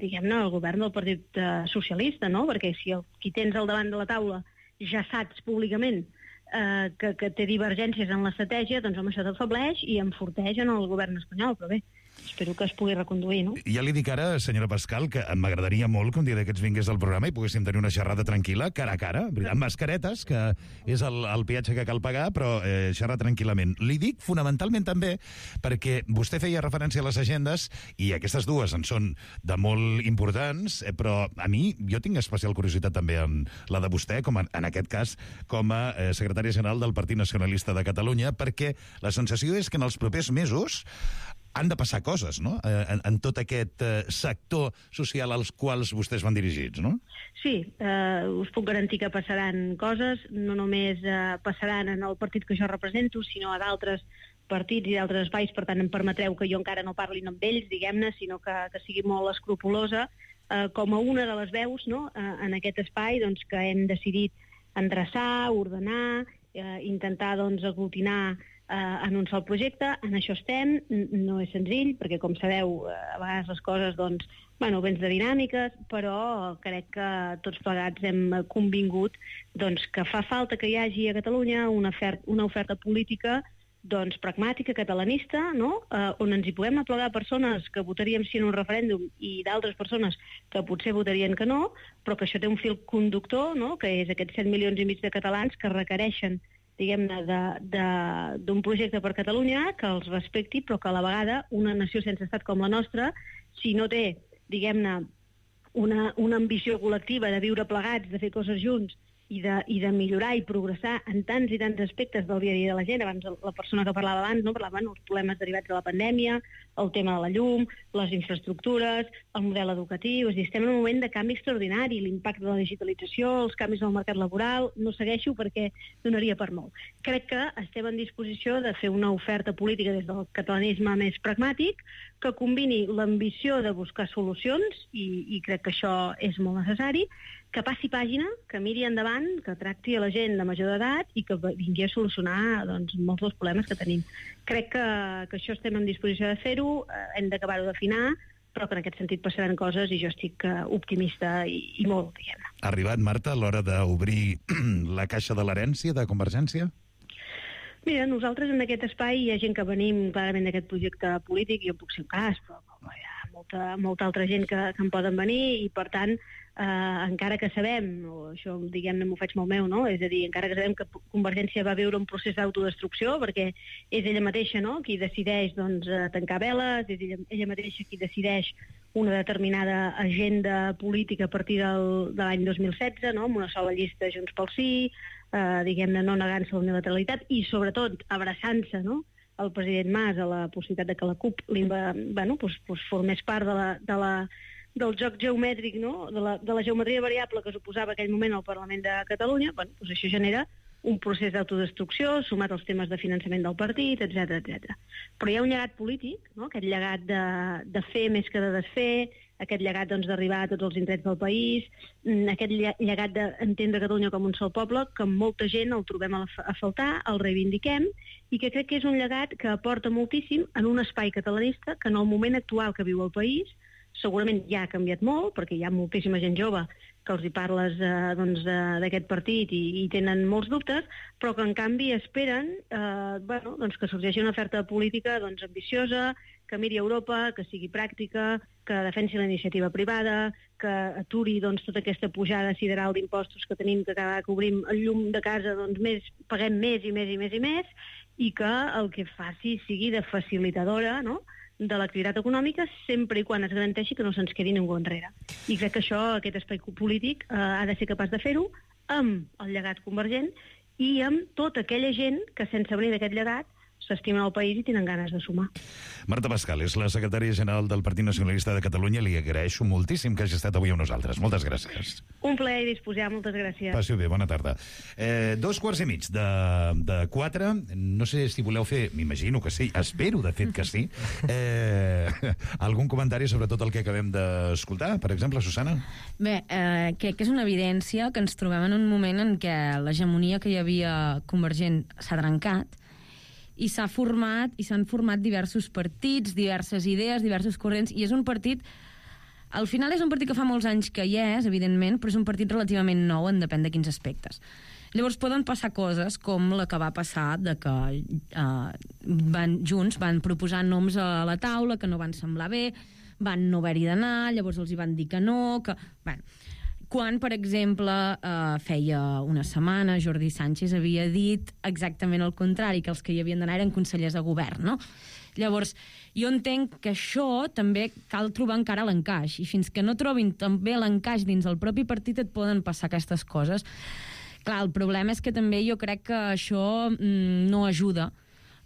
diguem-ne, al govern del Partit Socialista, no? Perquè si qui tens al davant de la taula ja saps públicament que té divergències en l'estratègia, doncs home, això t'afebleix i enforteix en el govern espanyol, però bé, espero que es pugui reconduir, no?
Ja li dic ara, senyora Pascal, que m'agradaria molt que un dia d'aquests vingués al programa i poguéssim tenir una xerrada tranquil·la, cara a cara, amb mascaretes, que és el peatge que cal pagar, però xerrar tranquil·lament. Li dic fonamentalment també perquè vostè feia referència a les agendes i aquestes dues en són de molt importants, però a mi, jo tinc especial curiositat també en la de vostè, com en aquest cas, com a secretària general del Partit Nacionalista de Catalunya, perquè la sensació és que en els propers mesos han de passar coses, no?, en tot aquest sector social als quals vostès van dirigits, no?
Sí, us puc garantir que passaran coses, no només passaran en el partit que jo represento, sinó a d'altres partits i d'altres espais, per tant em permetreu que jo encara no parli amb ells, diguem-ne, sinó que sigui molt escrupulosa, com a una de les veus, no?, en aquest espai, doncs, que hem decidit endreçar, ordenar, intentar, doncs, aglutinar en un sol projecte. En això estem, no és senzill, perquè com sabeu, a vegades les coses, doncs, bueno, vens de dinàmiques, però crec que tots plegats hem convingut doncs, que fa falta que hi hagi a Catalunya una oferta política doncs, pragmàtica, catalanista, no? On ens hi puguem aplegar persones que votaríem sí en un referèndum i d'altres persones que potser votarien que no, però que això té un fil conductor, no? Que és aquests 7 milions i mig de catalans que requereixen diguem-ne, d'un projecte per Catalunya que els respecti, però que a la vegada una nació sense estat com la nostra, si no té, diguem-ne, una ambició col·lectiva de viure plegats, de fer coses junts i de millorar i progressar en tants i tants aspectes del dia a dia de la gent. Abans la persona que parlava abans, no, parlava dels problemes derivats de la pandèmia, el tema de la llum, les infraestructures, el model educatiu. És a dir, estem en un moment de canvi extraordinari, l'impacte de la digitalització, els canvis del mercat laboral. No segueixo perquè donaria per molt. Crec que estem en disposició de fer una oferta política des del catalanisme més pragmàtic que combini l'ambició de buscar solucions, i crec que això és molt necessari, que passi pàgina, que miri endavant, que tracti a la gent de major d'edat i que vingui a solucionar molts dels problemes que tenim. Crec que això estem en disposició de fer-ho, hem d'acabar-ho d'afinar, però que en aquest sentit passaran coses i jo estic optimista i molt, diguem-ne.
Ha arribat, Marta, l'hora d'obrir la caixa de l'herència de Convergència?
Mira, nosaltres en aquest espai hi ha gent que venim clarament d'aquest projecte polític, jo puc ser un cas, però hi ha molta altra gent que en poden venir i, per tant, encara que sabem, o això diguem-ne m'ho faig molt meu, no? És a dir, encara que sabem que Convergència va viure un procés d'autodestrucció, perquè és ella mateixa, no?, qui decideix tancar veles, és ella mateixa qui decideix una determinada agenda política a partir de l'any 2016, no?, amb una sola llista Junts pel Sí, diguem-ne, no negant-se a la unilateralitat i, sobretot, abraçant-se, no?, el president Mas a la possibilitat de que la CUP formés part del joc geomètric, no?, de la geometria variable que suposava aquell moment al Parlament de Catalunya. Això genera un procés d'autodestrucció sumat als temes de finançament del partit, etc. Però hi ha un llegat polític, no?, aquest llegat de fer més que de desfer, aquest llegat d'arribar a tots els indrets del país, aquest llegat d'entendre Catalunya com un sol poble, que molta gent el trobem a faltar, el reivindiquem, i que crec que és un llegat que aporta moltíssim en un espai catalanista que en el moment actual que viu el país segurament ja ha canviat molt, perquè hi ha moltíssima gent jove que els hi parles d'aquest partit i tenen molts dubtes, però que en canvi esperen que sorgeixi una oferta política ambiciosa, que miri a Europa, que sigui pràctica, que defensi la iniciativa privada, que aturi tota aquesta pujada sideral d'impostos que tenim, que cada vegada que obrim el llum de casa paguem més i més i més i més, i que el que faci sigui de facilitadora, no?, de l'activitat econòmica, sempre i quan es garanteixi que no se'ns quedi ningú enrere. I crec que això, aquest espai polític, ha de ser capaç de fer-ho amb el llegat convergent i amb tota aquella gent que, sense venir d'aquest llegat, s'estimen el país i tenen ganes de sumar.
Marta Pascal és la secretària general del Partit Nacionalista de Catalunya. Li agraeixo moltíssim que hagi estat avui amb nosaltres. Moltes gràcies.
Un plaer disposar, moltes gràcies.
Passi-ho bé, bona tarda. 3:15 de 4. No sé si voleu fer, m'imagino que sí, espero de fet que sí, algun comentari sobre tot el que acabem d'escoltar, per exemple, Susana?
Bé, crec que és una evidència que ens trobem en un moment en què l'hegemonia que hi havia convergent s'ha trencat i s'han format diversos partits, diverses idees, diversos corrents, i és un partit... Al final és un partit que fa molts anys que hi és, evidentment, però és un partit relativament nou en depèn de quins aspectes. Llavors poden passar coses com la que va passar de que Junts van proposar noms a la taula que no van semblar bé, van no haver-hi d'anar, llavors els hi van dir que no, que... Bueno, quan, per exemple, feia una setmana Jordi Sánchez havia dit exactament el contrari, que els que hi havien d'anar eren consellers de govern, no? Llavors, jo entenc que això també cal trobar encara l'encaix, i fins que no trobin també l'encaix dins el propi partit et poden passar aquestes coses. Clar, el problema és que també jo crec que això no ajuda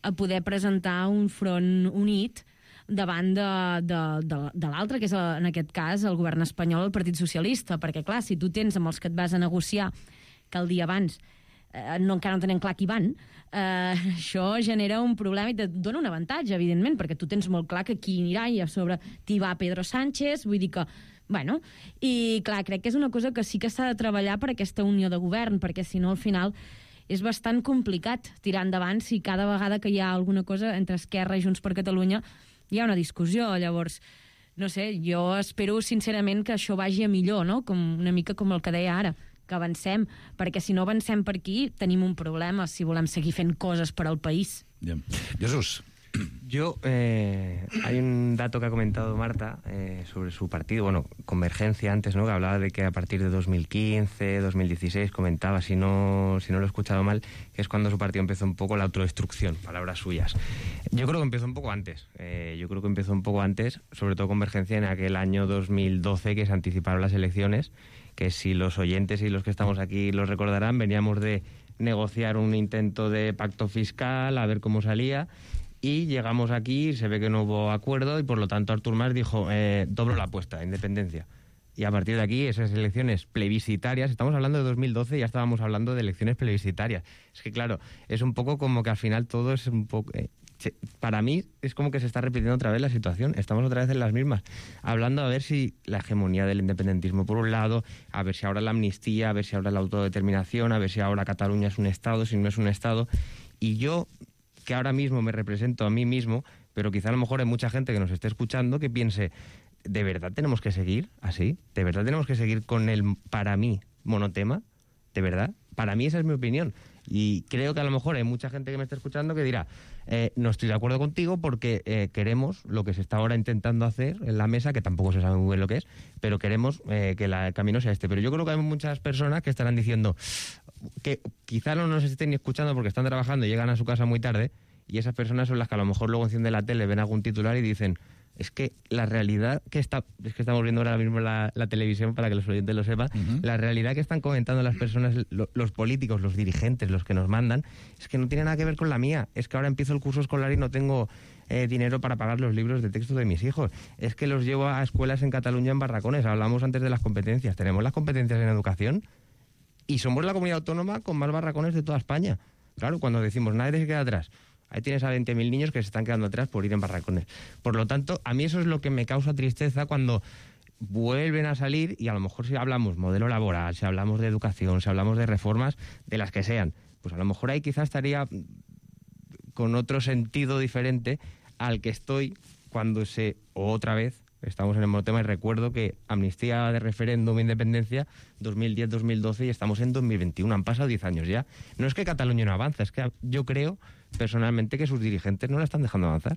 a poder presentar un front unit davant de l'altre, que és en aquest cas el govern espanyol, el Partit Socialista, perquè clar, si tu tens amb els que et vas a negociar que el dia abans encara no tenen clar qui van, això genera un problema i et dona un avantatge, evidentment, perquè tu tens molt clar que qui anirà i a sobre t'hi va Pedro Sánchez, vull dir que... Bueno, i clar, crec que és una cosa que sí que s'ha de treballar per aquesta unió de govern, perquè si no al final és bastant complicat tirar endavant si cada vegada que hi ha alguna cosa entre Esquerra i Junts per Catalunya hi ha una discussió. Llavors, no sé, jo espero sincerament que això vagi a millor, no? Una mica com el que deia ara, que avancem, perquè si no avancem per aquí tenim un problema si volem seguir fent coses per al país.
Ja. Jesús.
Yo, hay un dato que ha comentado Marta sobre su partido, bueno, Convergencia antes, ¿no? Que hablaba de que a partir de 2015, 2016, comentaba, si no lo he escuchado mal, que es cuando su partido empezó un poco la autodestrucción, palabras suyas. Yo creo que empezó un poco antes, sobre todo Convergencia en aquel año 2012 que se anticiparon las elecciones, que si los oyentes y los que estamos aquí los recordarán, veníamos de negociar un intento de pacto fiscal, a ver cómo salía, y llegamos aquí, se ve que no hubo acuerdo y por lo tanto Artur Mas dijo, doblo la apuesta, independencia. Y a partir de aquí, esas elecciones plebiscitarias, estamos hablando de 2012, ya estábamos hablando de elecciones plebiscitarias. Es que claro, es un poco como que al final todo es un poco... para mí es como que se está repitiendo otra vez la situación, estamos otra vez en las mismas, hablando a ver si la hegemonía del independentismo por un lado, a ver si ahora la amnistía, a ver si ahora la autodeterminación, a ver si ahora Cataluña es un Estado, si no es un Estado, y yo, que ahora mismo me represento a mí mismo, pero quizá a lo mejor hay mucha gente que nos esté escuchando que piense, ¿de verdad tenemos que seguir así? ¿De verdad tenemos que seguir con el, para mí, monotema? ¿De verdad? Para mí esa es mi opinión. Y creo que a lo mejor hay mucha gente que me está escuchando que dirá, no estoy de acuerdo contigo porque queremos lo que se está ahora intentando hacer en la mesa, que tampoco se sabe muy bien lo que es, pero queremos que el camino sea este. Pero yo creo que hay muchas personas que estarán diciendo que quizá no nos estén ni escuchando porque están trabajando y llegan a su casa muy tarde, y esas personas son las que a lo mejor luego encienden la tele, ven algún titular y dicen, es que la realidad es que estamos viendo ahora mismo la televisión para que los oyentes lo sepan, la realidad que están comentando las personas, los políticos, los dirigentes, los que nos mandan, es que no tiene nada que ver con la mía. Es que ahora empiezo el curso escolar y no tengo dinero para pagar los libros de texto de mis hijos. Es que los llevo a escuelas en Cataluña en barracones. Hablamos antes de las competencias. Tenemos las competencias en educación y somos la comunidad autónoma con más barracones de toda España. Claro, cuando decimos nadie se queda atrás, ahí tienes a 20.000 niños que se están quedando atrás por ir en barracones. Por lo tanto, a mí eso es lo que me causa tristeza cuando vuelven a salir, y a lo mejor si hablamos modelo laboral, si hablamos de educación, si hablamos de reformas, de las que sean, pues a lo mejor ahí quizás estaría con otro sentido diferente al que estoy cuando otra vez estamos en el mismo tema. Y recuerdo que amnistía de referéndum, independencia, 2010-2012 y estamos en 2021. Han pasado 10 años ya. No es que Cataluña no avanza, es que yo creo personalmente que sus dirigentes no la estan deixant avançar.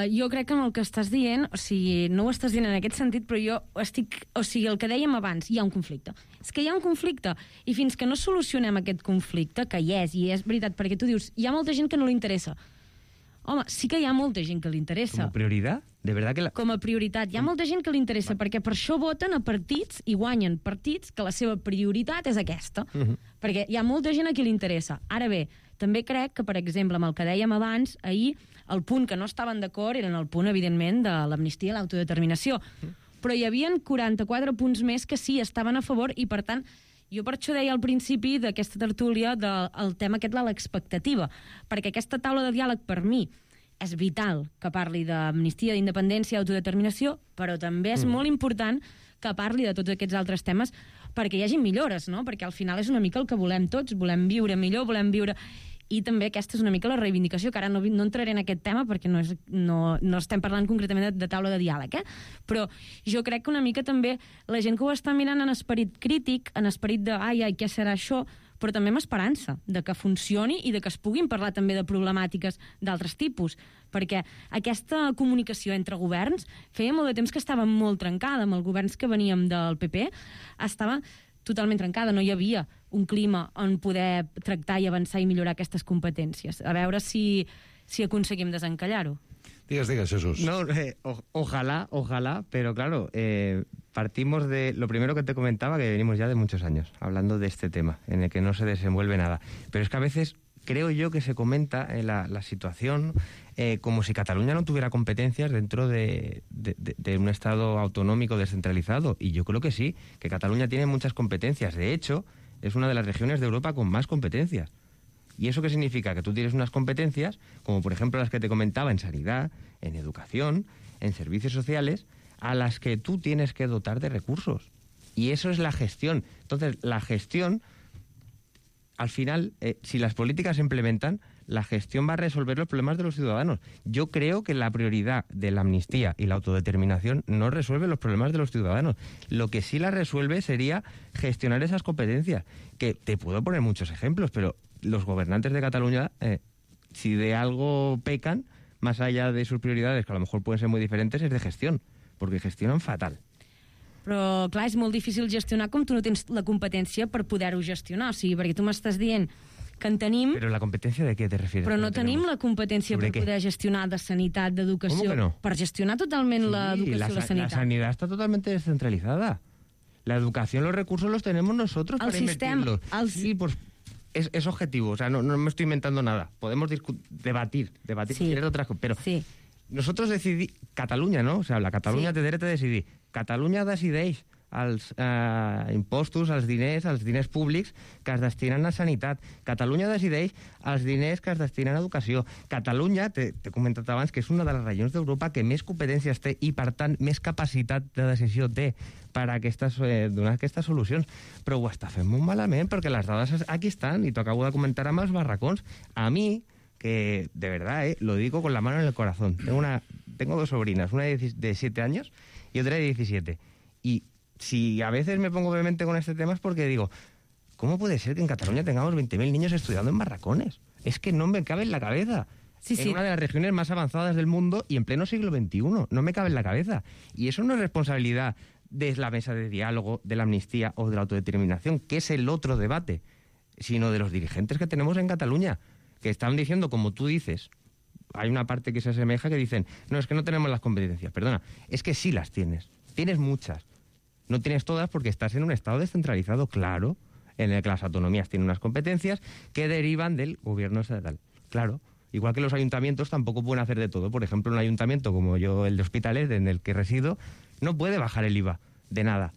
Jo crec que amb el que estàs dient, o sigui, no ho estàs dient en aquest sentit, però jo estic... O sigui, el que dèiem abans, hi ha un conflicte. És que hi ha un conflicte, i fins que no solucionem aquest conflicte, que hi és veritat, perquè tu dius, hi ha molta gent que no li interessa. Home, sí que hi ha molta gent que li interessa.
Com a prioritat? De verdad que
Com a prioritat. Hi ha molta gent que li interessa, perquè per això voten a partits i guanyen partits que la seva prioritat és aquesta. Perquè hi ha molta gent a qui li interessa. Ara bé, també crec que, per exemple, amb el que dèiem abans, ahir, el punt que no estaven d'acord era el punt, evidentment, de l'amnistia i l'autodeterminació. Però hi havia 44 punts més que sí estaven a favor i, per tant, jo per això deia al principi d'aquesta tertúlia del tema aquest de l'expectativa, perquè aquesta taula de diàleg per mi és vital que parli d'amnistia, d'independència, d'autodeterminació, però també és molt important que parli de tots aquests altres temes perquè hi hagi millores, no? Perquè al final és una mica el que volem tots, volem viure millor, volem viure... I també aquesta és una mica la reivindicació, que ara no entraré en aquest tema perquè no estem parlant concretament de taula de diàleg, però jo crec que una mica també la gent que ho està mirant en esperit crític, en esperit de ai, què serà això, però també amb esperança de que funcioni i de que es puguin parlar també de problemàtiques d'altres tipus, perquè aquesta comunicació entre governs feia molt de temps que estava molt trencada. Amb els governs que veníem del PP estava totalment trencada, no hi havia un clima on poder tractar i avançar i millorar aquestes competències. A veure si aconseguim desencallar-ho.
Digues, Jesús.
No, ojalá, pero claro, partimos de lo primero que te comentaba, que venimos ya de muchos años hablando de este tema, en el que no se desenvuelve nada. Pero es que a veces creo yo que se comenta la situación como si Cataluña no tuviera competencias dentro de un Estado autonómico descentralizado. Y yo creo que sí, que Cataluña tiene muchas competencias. De hecho, es una de las regiones de Europa con más competencias. ¿Y eso qué significa? Que tú tienes unas competencias, como por ejemplo las que te comentaba en sanidad, en educación, en servicios sociales, a las que tú tienes que dotar de recursos. Y eso es la gestión. Entonces, la gestión, al final, si las políticas se implementan, la gestión va a resolver los problemas de los ciudadanos. Yo creo que la prioridad de la amnistía y la autodeterminación no resuelve los problemas de los ciudadanos. Lo que sí la resuelve sería gestionar esas competencias, que te puedo poner muchos ejemplos, pero los gobernantes de Cataluña, si de algo pecan, más allá de sus prioridades, que a lo mejor pueden ser muy diferentes, es de gestión, porque gestionan fatal.
Però, clar, és molt difícil gestionar com tu no tens la competència per poder-ho gestionar. O sigui, perquè tu m'estàs dient que en tenim...
Però la competència de què te refieres?
Però no tenim la competència per poder gestionar de sanitat, d'educació...
¿Cómo que no?
Per gestionar totalment l'educació i la sanitat.
La sanidad está totalmente descentralizada. La educación, los recursos los tenemos nosotros para invertirlos. Sí, pues es objetivo, o sea, no me estoy inventando nada. Podemos debatir si quieres otras cosas, pero nosotros decidimos... Catalunya, no? O sea, la Catalunya té dret a decidir. Catalunya decideix els impostos, els diners públics que es destinen a sanitat. Catalunya decideix els diners que es destinen a educació. Catalunya, t'he comentat abans, que és una de les regions d'Europa que més competències té i, per tant, més capacitat de decisió té per donar aquestes solucions. Però ho està fent molt malament, perquè les dades aquí estan, i t'ho acabo de comentar amb els barracons. A mi, que de verdad, lo digo con la mano en el corazón, tengo dos sobrinas, una de 7 años y otra de 17. Y si a veces me pongo vehemente con este tema es porque digo, ¿cómo puede ser que en Cataluña tengamos 20.000 niños estudiando en barracones? Es que no me cabe en la cabeza. En una de las regiones más avanzadas del mundo y en pleno siglo XXI. No me cabe en la cabeza. Y eso no es responsabilidad de la mesa de diálogo, de la amnistía o de la autodeterminación, que es el otro debate, sino de los dirigentes que tenemos en Cataluña, que están diciendo, como tú dices, hay una parte que se asemeja que dicen, no, es que no tenemos las competencias. Perdona, es que sí las tienes. Tienes muchas. No tienes todas porque estás en un estado descentralizado, claro, en el que las autonomías tienen unas competencias que derivan del gobierno estatal. Claro, igual que los ayuntamientos tampoco pueden hacer de todo. Por ejemplo, un ayuntamiento como yo, el de Hospitalet, en el que resido, no puede bajar el IVA de nada.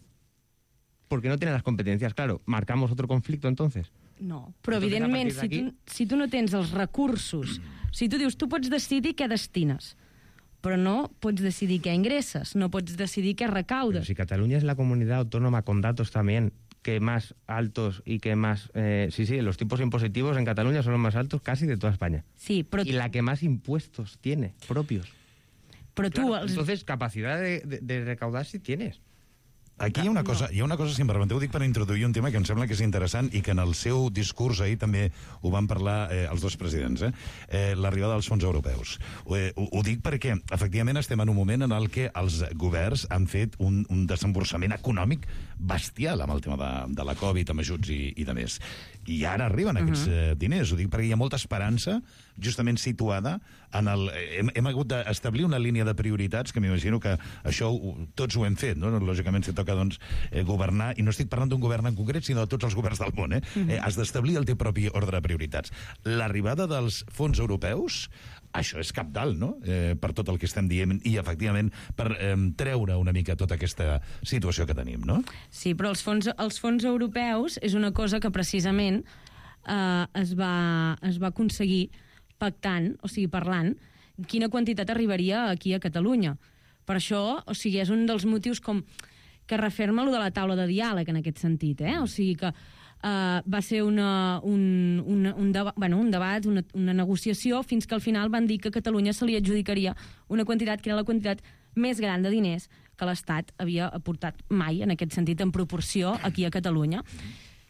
Porque no tiene las competencias. Claro, marcamos otro conflicto entonces.
No, però evidentment, si tu no tens els recursos, si tu dius, tu pots decidir què destines, però no pots decidir què ingresses, no pots decidir què recaudes.
Pero si Cataluña es la comunidad autónoma con datos también que más altos y que más... los tipos impositivos en Cataluña son los más altos casi de toda España.
Sí, però...
Y la que más impuestos tiene, propios.
Però tu...
Entonces, capacidad de recaudar sí tienes.
Aquí hi ha una cosa, si em permeteu, dic per introduir un tema que em sembla que és interessant i que en el seu discurs ahir també ho van parlar els dos presidents, l'arribada dels fons europeus. Ho dic perquè, efectivament, estem en un moment en el que els governs han fet un desemborsament econòmic bestial amb el tema de la Covid, amb ajuts i de més. I ara arriben aquests diners. Ho dic perquè hi ha molta esperança justament situada en el... Hem hagut d'establir una línia de prioritats que m'imagino que això tots ho hem fet, no? Lògicament, si toca governar, i no estic parlant d'un govern en concret, sinó de tots els governs del món. Has d'establir el teu propi ordre de prioritats. L'arribada dels fons europeus, això és cabdal, no? Per tot el que estem dient i, efectivament, per treure una mica tota aquesta situació que tenim, no?
Sí, però els fons europeus és una cosa que precisament es va aconseguir pactant, o sigui, parlant, quina quantitat arribaria aquí a Catalunya. Per això, o sigui, és un dels motius que referma allò de la taula de diàleg en aquest sentit, O sigui que va ser un debat, una negociació, fins que al final van dir que a Catalunya se li adjudicaria una quantitat que era la quantitat més gran de diners que l'Estat havia aportat mai, en aquest sentit, en proporció aquí a Catalunya.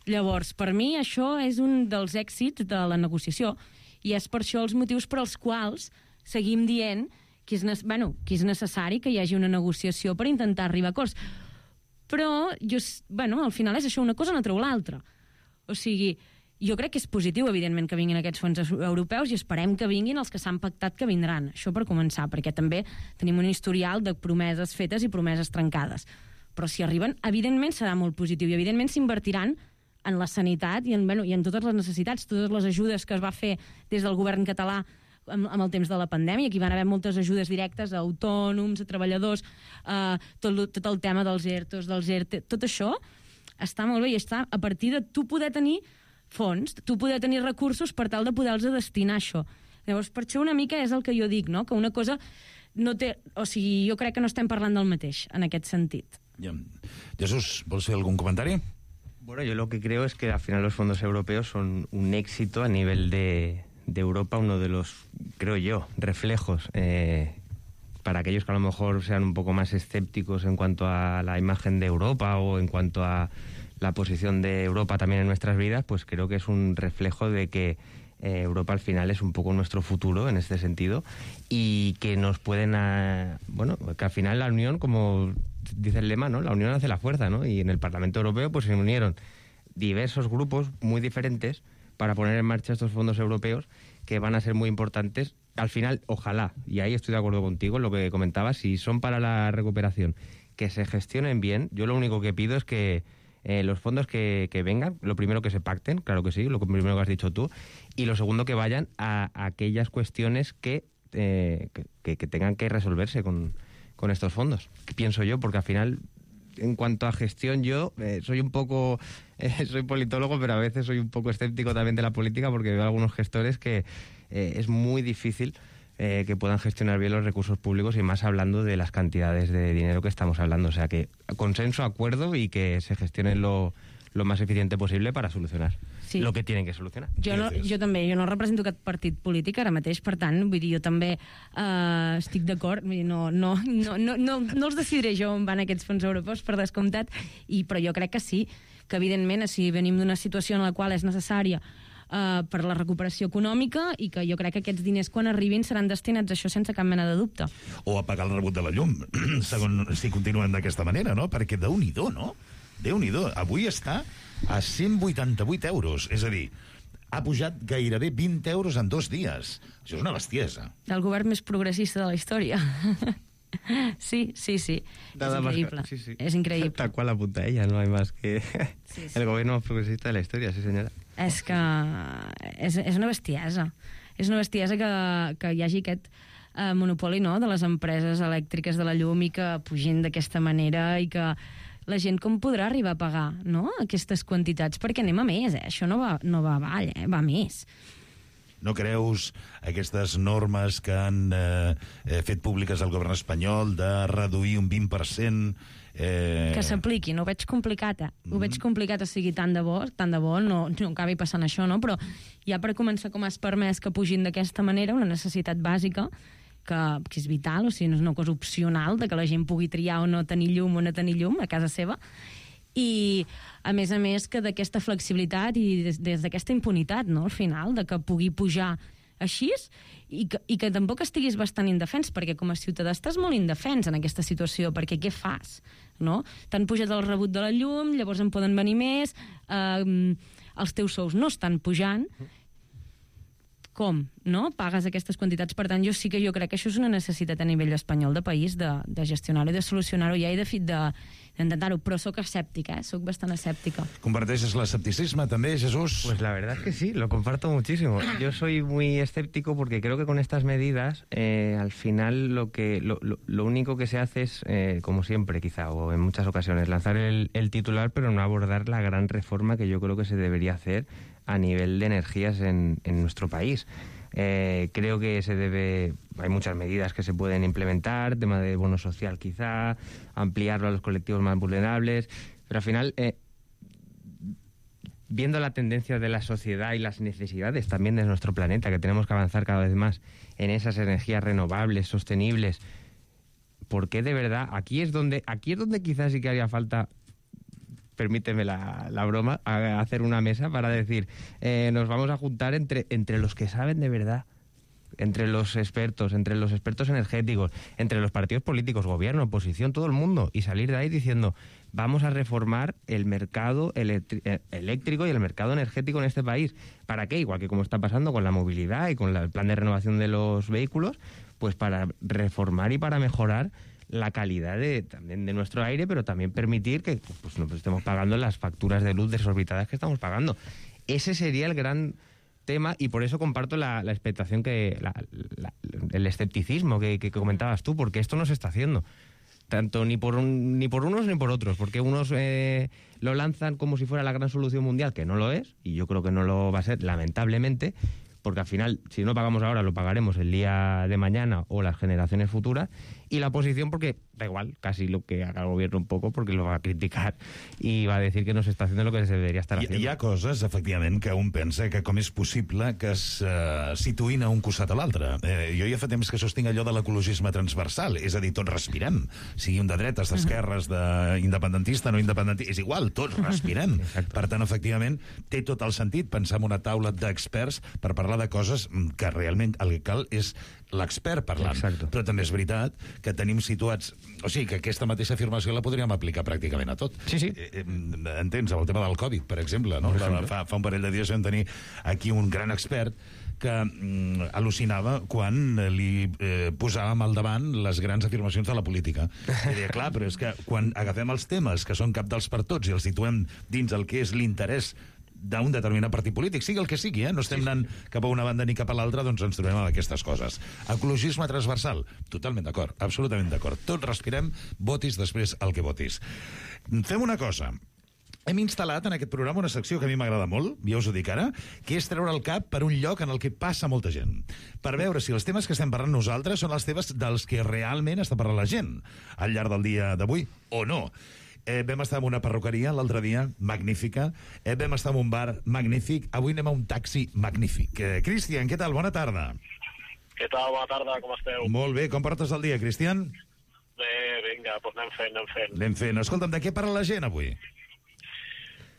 Llavors, per mi, això és un dels èxits de la negociació, i és per això els motius per als quals seguim dient que és necessari que hi hagi una negociació per intentar arribar a acords. Però, al final és això, una cosa no treu l'altra. O sigui, jo crec que és positiu, evidentment, que vinguin aquests fons europeus i esperem que vinguin els que s'han pactat que vindran. Això per començar, perquè també tenim un historial de promeses fetes i promeses trencades. Però si arriben, evidentment serà molt positiu i evidentment s'invertiran en la sanitat i en totes les necessitats, totes les ajudes que es va fer des del govern català amb el temps de la pandèmia. Aquí van haver moltes ajudes directes a autònoms, a treballadors, tot el tema dels ERTOs, dels ERTE, tot això està molt bé i està a partir de tu poder tenir fons, tu poder tenir recursos per tal de poder-los destinar a això. Llavors, per això una mica és el que jo dic, no? Que una cosa no té... O sigui, jo crec que no estem parlant del mateix, en aquest sentit.
Jesús, vols fer algun comentari?
Bueno, yo lo que creo es que al final los fondos europeos son un éxito a nivel de Europa, uno de los, creo yo, reflejos para aquellos que a lo mejor sean un poco más escépticos en cuanto a la imagen de Europa o en cuanto a la posición de Europa también en nuestras vidas, pues creo que es un reflejo de que Europa al final es un poco nuestro futuro en este sentido y que nos pueden... que al final la unión, como dice el lema, ¿no? La unión hace la fuerza, ¿no? Y en el Parlamento Europeo pues se unieron diversos grupos muy diferentes para poner en marcha estos fondos europeos que van a ser muy importantes. Al final, ojalá, y ahí estoy de acuerdo contigo, lo que comentabas, si son para la recuperación, que se gestionen bien. Yo lo único que pido es que los fondos que vengan, lo primero que se pacten, claro que sí, lo primero que has dicho tú, y lo segundo que vayan a aquellas cuestiones que tengan que resolverse con estos fondos, pienso yo, porque al final, en cuanto a gestión, yo soy un poco... soy politólogo, pero a veces soy un poco escéptico también de la política porque veo algunos gestores que es muy difícil que puedan gestionar bien los recursos públicos y más hablando de las cantidades de dinero que estamos hablando. O sea que consenso, acuerdo y que se gestionen lo más eficiente posible para solucionar lo que tienen que solucionar.
Jo no represento cap partit polític ara mateix, per tant, vull dir, jo també estic d'acord, no els decidiré jo on van aquests fons europeus, per descomptat, però jo crec que sí, que evidentment si venim d'una situació en la qual és necessària per la recuperació econòmica i que jo crec que aquests diners quan arribin seran destinats a això sense cap mena de dubte.
O a pagar el rebut de la llum, si continuen d'aquesta manera, no? Perquè Déu-n'hi-do, no? Déu-n'hi-do, avui està a 188 euros, és a dir, ha pujat gairebé 20 euros en 2 dies. Això és una bestiesa.
El govern més progressista de la història. Sí. És increïble.
Sí.
Es increíble.
Tal cual apunta ella, no hay más que
sí.
El gobierno más progresista de la historia, sí senyora.
És que és una bestiesa. És una bestiesa que hi hagi aquest monopoli, no?, de les empreses elèctriques de la llum i que pugin d'aquesta manera i que la gent com podrà arribar a pagar, no?, aquestes quantitats, perquè anem a més, això no va avall, va a més.
No creus aquestes normes que han fet públiques el govern espanyol de reduir un 20%?
Que s'apliquin, ho veig complicat, Ho veig complicat, o sigui, tant de bo no acabi passant això, no? Però ja per començar, com has permès que pugin d'aquesta manera, una necessitat bàsica, que és vital, o sigui, no és una cosa opcional de que la gent pugui triar o no tenir llum a casa seva, i a més que d'aquesta flexibilitat i des d'aquesta impunitat, no?, al final, de que pugui pujar així i que tampoc estiguis bastant indefens, perquè com a ciutadà estàs molt indefens en aquesta situació, perquè què fas, no? T'han pujat el rebut de la llum, llavors en poden venir més, els teus sous no estan pujant, com, no? Pagues aquestes quantitats. Per tant, jo crec que això és una necessitat a nivell espanyol de país, de gestionar-ho i de solucionar-ho ja i d'intentar-ho, però soc escèptica, soc bastant escèptica.
¿Comparteixes l'escepticisme també, Jesús?
Pues la verdad es que sí, lo comparto muchísimo. Yo soy muy escéptico porque creo que con estas medidas, al final lo único que se hace es, como siempre quizá, o en muchas ocasiones, lanzar el titular, pero no abordar la gran reforma que yo creo que se debería hacer a nivel de energías en nuestro país. Creo que hay muchas medidas que se pueden implementar, tema de bono social quizá, ampliarlo a los colectivos más vulnerables, pero al final, viendo la tendencia de la sociedad y las necesidades también de nuestro planeta, que tenemos que avanzar cada vez más en esas energías renovables, sostenibles, ¿por qué de verdad? Aquí es donde quizás sí que haría falta, permíteme la broma, a hacer una mesa para decir, nos vamos a juntar entre los que saben de verdad, entre los expertos energéticos, entre los partidos políticos, gobierno, oposición, todo el mundo, y salir de ahí diciendo, vamos a reformar el mercado eléctrico y el mercado energético en este país. ¿Para qué? Igual que como está pasando con la movilidad y con el plan de renovación de los vehículos, pues para reformar y para mejorar la calidad también de nuestro aire, pero también permitir que pues, no estemos pagando las facturas de luz desorbitadas que estamos pagando. Ese sería el gran tema, y por eso comparto la expectación, el escepticismo que comentabas tú, porque esto no se está haciendo. Tanto ni por unos ni por otros, porque unos lo lanzan como si fuera la gran solución mundial, que no lo es, y yo creo que no lo va a ser, lamentablemente, porque al final, si no pagamos ahora, lo pagaremos el día de mañana o las generaciones futuras, y la oposición porque da igual, casi lo que haga el gobierno un poco, porque lo va a criticar y va a decir que no se está haciendo lo que se debería estar haciendo.
Hi ha coses, efectivament, que un pensa que com és possible que es situïn a un costat o l'altre. Jo ja fa temps que sostinc allò de l'ecologisme transversal, és a dir, tots respirem, sigui un de dretes, d'esquerres, d'independentista, no independentista, és igual, tots respirem. Per tant, efectivament, té tot el sentit pensar en una taula d'experts per parlar de coses que realment el que cal és l'expert parlant.
Exacte.
Però també és veritat que tenim situats... O sigui, que aquesta mateixa afirmació la podríem aplicar pràcticament a tot.
Sí, sí.
Entens? El tema del Covid, per exemple. No? Fa un parell de dies vam tenir aquí un gran expert que al·lucinava quan li posàvem al davant les grans afirmacions de la política. I deia, clar, però és que quan agafem els temes que són cabdals per tots i els situem dins el que és l'interès d'un determinat partit polític, sigui el que sigui, no estem anant cap a una banda ni cap a l'altra, doncs ens trobem amb aquestes coses. Ecologisme transversal, totalment d'acord, absolutament d'acord. Tots respirem, votis després el que votis. Fem una cosa. Hem instal·lat en aquest programa una secció que a mi m'agrada molt, ja us ho dic ara, que és treure el cap per un lloc en el que passa molta gent, per veure si els temes que estem parlant nosaltres són els temes dels que realment està parlant la gent al llarg del dia d'avui, o no. Vam estar en una perruqueria l'altre dia, magnífica. Vam estar en un bar magnífic. Avui anem a un taxi magnífic. Cristian, què tal? Bona tarda.
Què tal? Bona tarda, com esteu?
Molt bé. Com portes el dia, Cristian?
Bé, vinga, doncs anem fent.
Anem fent. Escolta'm, de què parla la gent avui?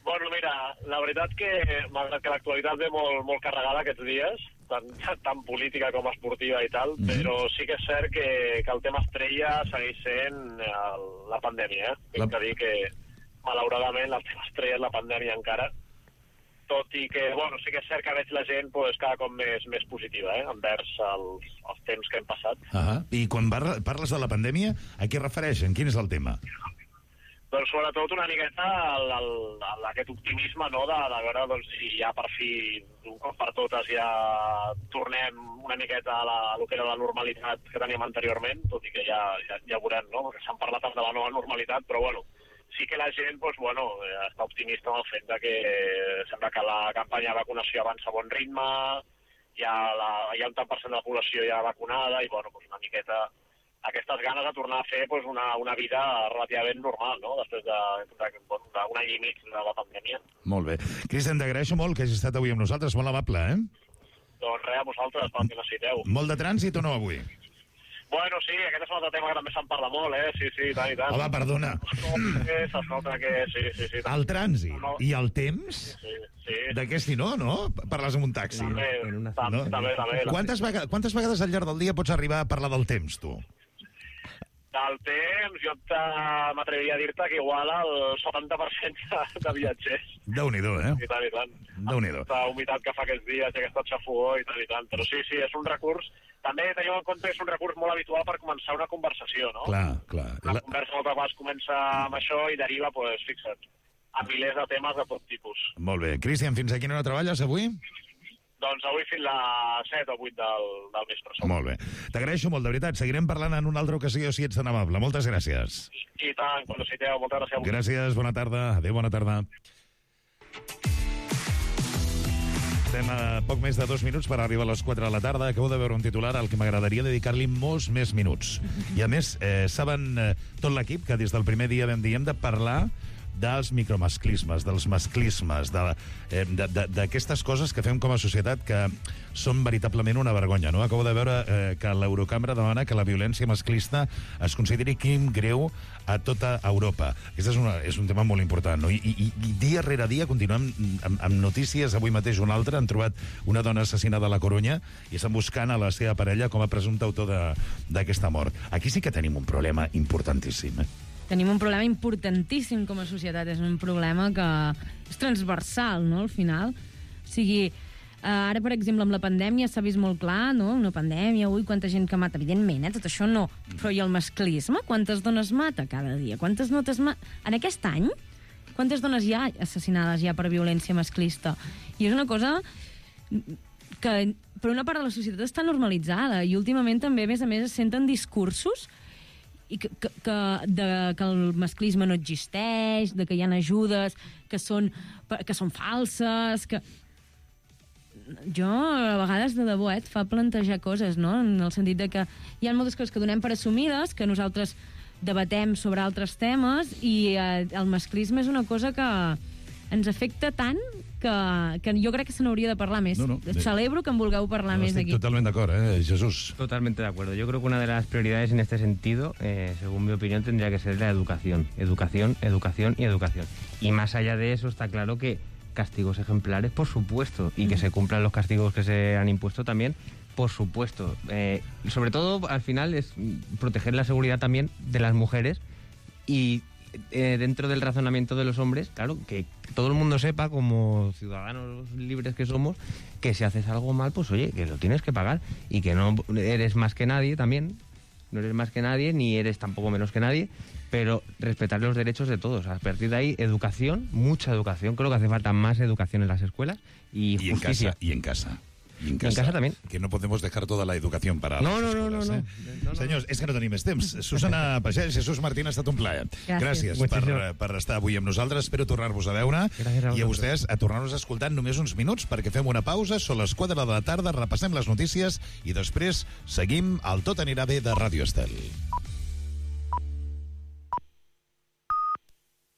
Bueno, mira, la veritat que, malgrat que l'actualitat ve molt carregada aquests dies, tant política com esportiva i tal, però sí que és cert que el tema estrella segueix sent la pandèmia. Tinc que dir que, malauradament, el tema estrella és la pandèmia encara, tot i que, bueno, sí que és cert que veig la gent cada cop més positiva, envers els temps que hem passat.
I quan parles de la pandèmia, a què refereixen? Quin és el tema?
Doncs sobretot una miqueta aquest optimisme, no?, de veure doncs, si ja per fi, d'un cop per totes, ja tornem una miqueta a lo que era la normalitat que teníem anteriorment, tot i que ja veurem, no?, perquè s'han parlat tant de la nova normalitat, però bueno, sí que la gent doncs, bueno, està optimista en el fet de que sembla que la campanya de vacunació avança a bon ritme, hi ha un tant per cent de la població ja vacunada i bueno, doncs una miqueta aquestes ganes de tornar a fer doncs, una vida relativament normal, no?, després d'un any i mig de la pandèmia.
Molt bé. Cristian, t'agraeixo molt que hagis estat avui amb nosaltres, molt amable,
Doncs res, a vosaltres, pel que necessiteu.
Molt de trànsit o no avui?
Bueno, sí, aquest és un altre tema que també se'n parla molt, Sí, i tant.
Home, perdona.
Es nota que sí.
El trànsit i el temps?
Sí.
D'aquest i no? Parles amb un taxi.
També.
Quantes vegades al llarg del dia pots arribar a parlar del temps, tu?
Del temps, jo m'atreviria a dir-te que igual el 70% de viatgers.
Déu-n'hi-do,
I tant.
Déu-n'hi-do.
Aquesta humitat que fa aquests dies, aquesta xafogó i tant. Però sí, és un recurs. També teniu en compte que és un recurs molt habitual per començar una conversació, no?
Clar.
La conversa moltes vegades comença amb això i deriva, doncs, fixa't, a milers de temes de tot tipus.
Molt bé. Cristian, fins a quina hora treballes avui?
Doncs avui fins a 7 o 8 del vespre.
Molt bé. T'agraeixo molt, de veritat. Seguirem parlant en una altra ocasió, si ets tan amable. Moltes gràcies.
I tant, quan necessiteu. Moltes gràcies a vosaltres.
Gràcies, bona tarda. Adéu, bona tarda. Estem a poc més de 2 minuts per arribar a les 4 de la tarda. Acabo de veure un titular al que m'agradaria dedicar-li molts més minuts. I a més, saben tot l'equip que des del primer dia vam dir hem de parlar dels micromasclismes, dels masclismes, d'aquestes coses que fem com a societat que són veritablement una vergonya, no? Acabo de veure que l'Eurocambra demana que la violència masclista es consideri crim greu a tota Europa. Aquest és un tema molt important, no? I dia rere dia continuem amb notícies. Avui mateix una altra, han trobat una dona assassinada a la Corunya i estan buscant a la seva parella com a presumpte autor d'aquesta mort. Aquí sí que tenim un problema importantíssim,
Tenim un problema importantíssim com a societat. És un problema que és transversal, no?, al final. O sigui, ara, per exemple, amb la pandèmia s'ha vist molt clar, no?, una pandèmia, quanta gent que mata. Evidentment, tot això no. Però i el masclisme? Quantes dones mata cada dia? Quantes notes en aquest any? Quantes dones hi ha assassinades ja per violència masclista? I és una cosa que, per una part de la societat, està normalitzada. I últimament també, a més, es senten discursos i que el masclisme no existeix, que hi ha ajudes que són falses, que... jo a vegades de debò et fa plantejar coses, no? En el sentit de que hi ha moltes coses que donem per assumides, que nosaltres debatem sobre altres temes, i el masclisme és una cosa que ens afecta tant que jo crec que se n'hauria de parlar més. Celebro que en vulgueu parlar més aquí.
Totalmente de acuerdo, Jesús.
Totalmente de acuerdo. Yo creo que una de las prioridades en este sentido, según mi opinión, tendría que ser la educación. Educación, educación y educación. Y más allá de eso, está claro que castigos ejemplares, por supuesto, y que se cumplan los castigos que se han impuesto también, por supuesto. Sobre todo, al final, es proteger la seguridad también de las mujeres y dentro del razonamiento de los hombres, claro, que todo el mundo sepa, como ciudadanos libres que somos, que si haces algo mal, pues oye, que lo tienes que pagar y que no eres más que nadie también, no eres más que nadie, ni eres tampoco menos que nadie, pero respetar los derechos de todos. A partir de ahí, educación, mucha educación, creo que hace falta más educación en las escuelas y justicia.
Y en casa.
I en casa también.
Que no podemos dejar toda la educación para les escoles. No. Senyors, és que no tenim més temps. Susana Pagès, Jesús Martín, ha estat un plaer. Gràcies per estar avui amb nosaltres. Espero tornar-vos a veure. I a vostès a tornar-nos a escoltar només uns minuts perquè fem una pausa. Són les 4 de la tarda, repassem les notícies i després seguim al Tot anirà bé de Ràdio Estel.